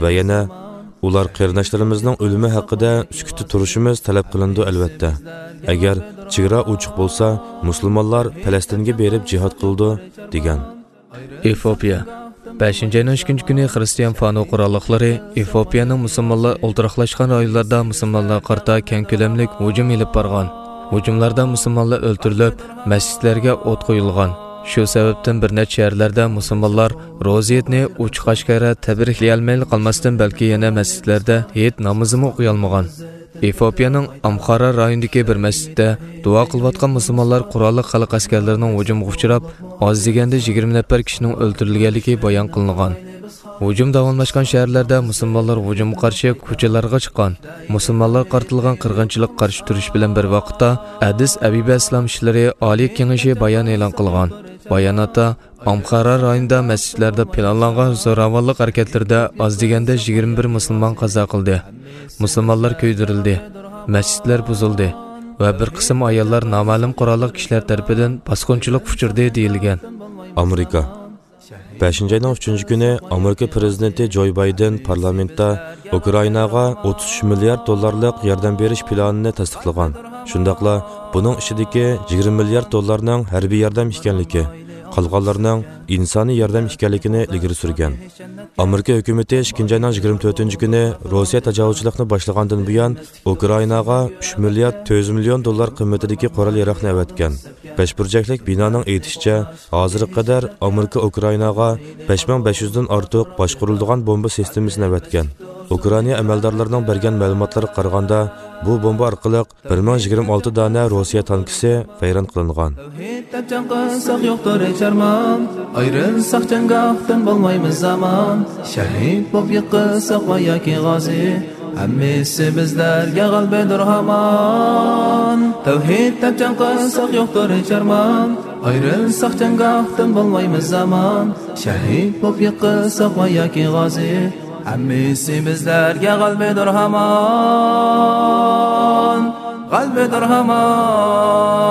ۋە يەنە، ئۇلار قېرىنداشلىرىمىزنىڭ ئۆلۈمى ھەققىدە سۈكۈتتە تۇرۇشىمىز تەلەپ قىلىنىدۇ، ئەلۋەتتە. ئەگەر چېگرا ئوچۇق بولسا، مۇسۇلمانلار پەلەستىنگە بېرىپ جىھاد قىلىدۇ، دېگەن. ئېفىئوپىيە. بەشىنچى ئاينىڭ ئىككىنچى كۈنى خىرىستىيان فانو قوراللىقلىرى ئېفىئوپىيەنىڭ مۇسۇلمانلار ئولتۇراقلاشقان رايونلىرىدا مۇسۇلمانلارغا قارىتا كەڭ كۆلەملىك ھۇجۇم ئېلىپ بارغان. ھۇجۇملاردا مۇسۇلمانلار ئۆلتۈرۈلۈپ، مەسچىتلەرگە ئوت قويۇلغان. شۇ سەۋەبتىن بىر نەچچە شەھەرلەردە مۇسۇلمانلار روزا ھېيتنى ئوچۇق ئاشكارا تەبرىكلىيەلمەيلا قالماستىن، بەلكى يەنە مەسچىتلەردە ھېيت نامىزىمۇ ئوقۇيالمىغان. ئېفىئوپىيەنىڭ ئامخارا رايونىدىكى بىر مەسچىتتە دۇئا قىلىۋاتقان مۇسۇلمانلار قوراللىق خەلق ئەسكەرلىرىنىڭ ھۇجۇمىغا ئۇچراپ، ئاز دېگەندە يىگىرمە نەپەر كىشىنىڭ ئۆلتۈرۈلگەنلىكى بايان قىلىنغان. ھۇجۇم داۋاملاشقان شەھەرلەردە مۇسۇلمانلار ھۇجۇمغا قارشى كوچىلارغا چىققان. مۇسۇلمانلارغا قارىتىلغان قىرغىنچىلىققا قارشى تۇرۇش بىلەن بىر ۋاقىتتا، ئەدىس ئەبىبە ئىسلام ئىشلىرى ئالىي كېڭىشى بايان ئېلان قىلغان. باياناتتا، ئامخارا رايونىدا مەسچىتلەردە پىلانلانغان زوراۋانلىق ھەرىكەتلىرىدە ئاز دېگەندە يىگىرمە بىر مۇسۇلمان قازا قىلدى. مۇسۇلمانلار كۆيدۈرۈلدى، مەسچىتلەر بۇزۇلدى ۋە بىر قىسىم ئاياللار نامەلۇم قوراللىق كىشىلەر تەرىپىدىن باسقۇنچىلىققا ئۇچرىدى، دېيىلگەن. ئامېرىكا. بەشىنچى ئاينىڭ ئۈچىنچى كۈنى ئامېرىكا پىرېزىدېنتى جوي بايدېن پارلامېنتتا ئۇكرائىناغا ئوتتۇز ئۈچ مىليارد دوللارلىق ياردەم بېرىش پىلانىنى تەستىقلىغان. شۇنداقلا بۇنىڭ ئىچىدىكى يىگىرمە مىليارد دوللارنىڭ ھەربىي ياردەم ئىكەنلىكى، قالغانلىرىنىڭ ئىنسانىي ياردەم ئىكەنلىكىنى ئىلگىرى سۈرگەن. ئامېرىكا ھۆكۈمىتى ئىككىنچى ئاينىڭ يىگىرمە تۆتىنچى كۈنى روسىيە تاجاۋۇزچىلىقنى باشلىغاندىن بۇيان ئۇكرائىناغا ئۈچ مىليارد تۆت يۈز مىليون دوللار قىممىتىدىكى قورال ياراغنى ئەۋەتكەن. بەش بۇرجەكلىك بىنانىڭ ئېيتىشىچە، ھازىرغا قەدەر ئامېرىكا ئۇكرائىناغا بەش مىڭ بەش يۈزدىن ئارتۇق باشقۇرۇلىدىغان بومبا سىستېمىسىنى ئەۋەتكەن. ئۇكرائىنا ئەمەلدارلىرىنىڭ بەرگەن مەلۇماتلىرىغا قارىغاندا، بۇ بومبا ئارقىلىق بىر مىڭ يىگىرمە ئالتە دانە روسىيە تانكىسى ۋەيران قىلىنغان. تەۋھىد دەپ جەڭ قىلساق يوقتۇر ھېچ ئارمان، ئايرىلساق جەڭگاھتىن بولمايمىز ئامان، شەھىد بوپ يىقىلساق ۋە ياكى غازى، ھەممىسى بىزلەرگە غەلىبىدۇر ھامان. تەۋھىد دەپ جەڭ قىلساق يوقتۇر ھېچ ئارمان، ئايرىلساق جەڭگاھتىن بولمايمىز ئامان، شەھىد بوپ يىقىلساق ۋە ياكى غازى، ھەممىسى بىزلەرگە غەلىبىدۇر ھامان، غەلىبىدۇر ھامان.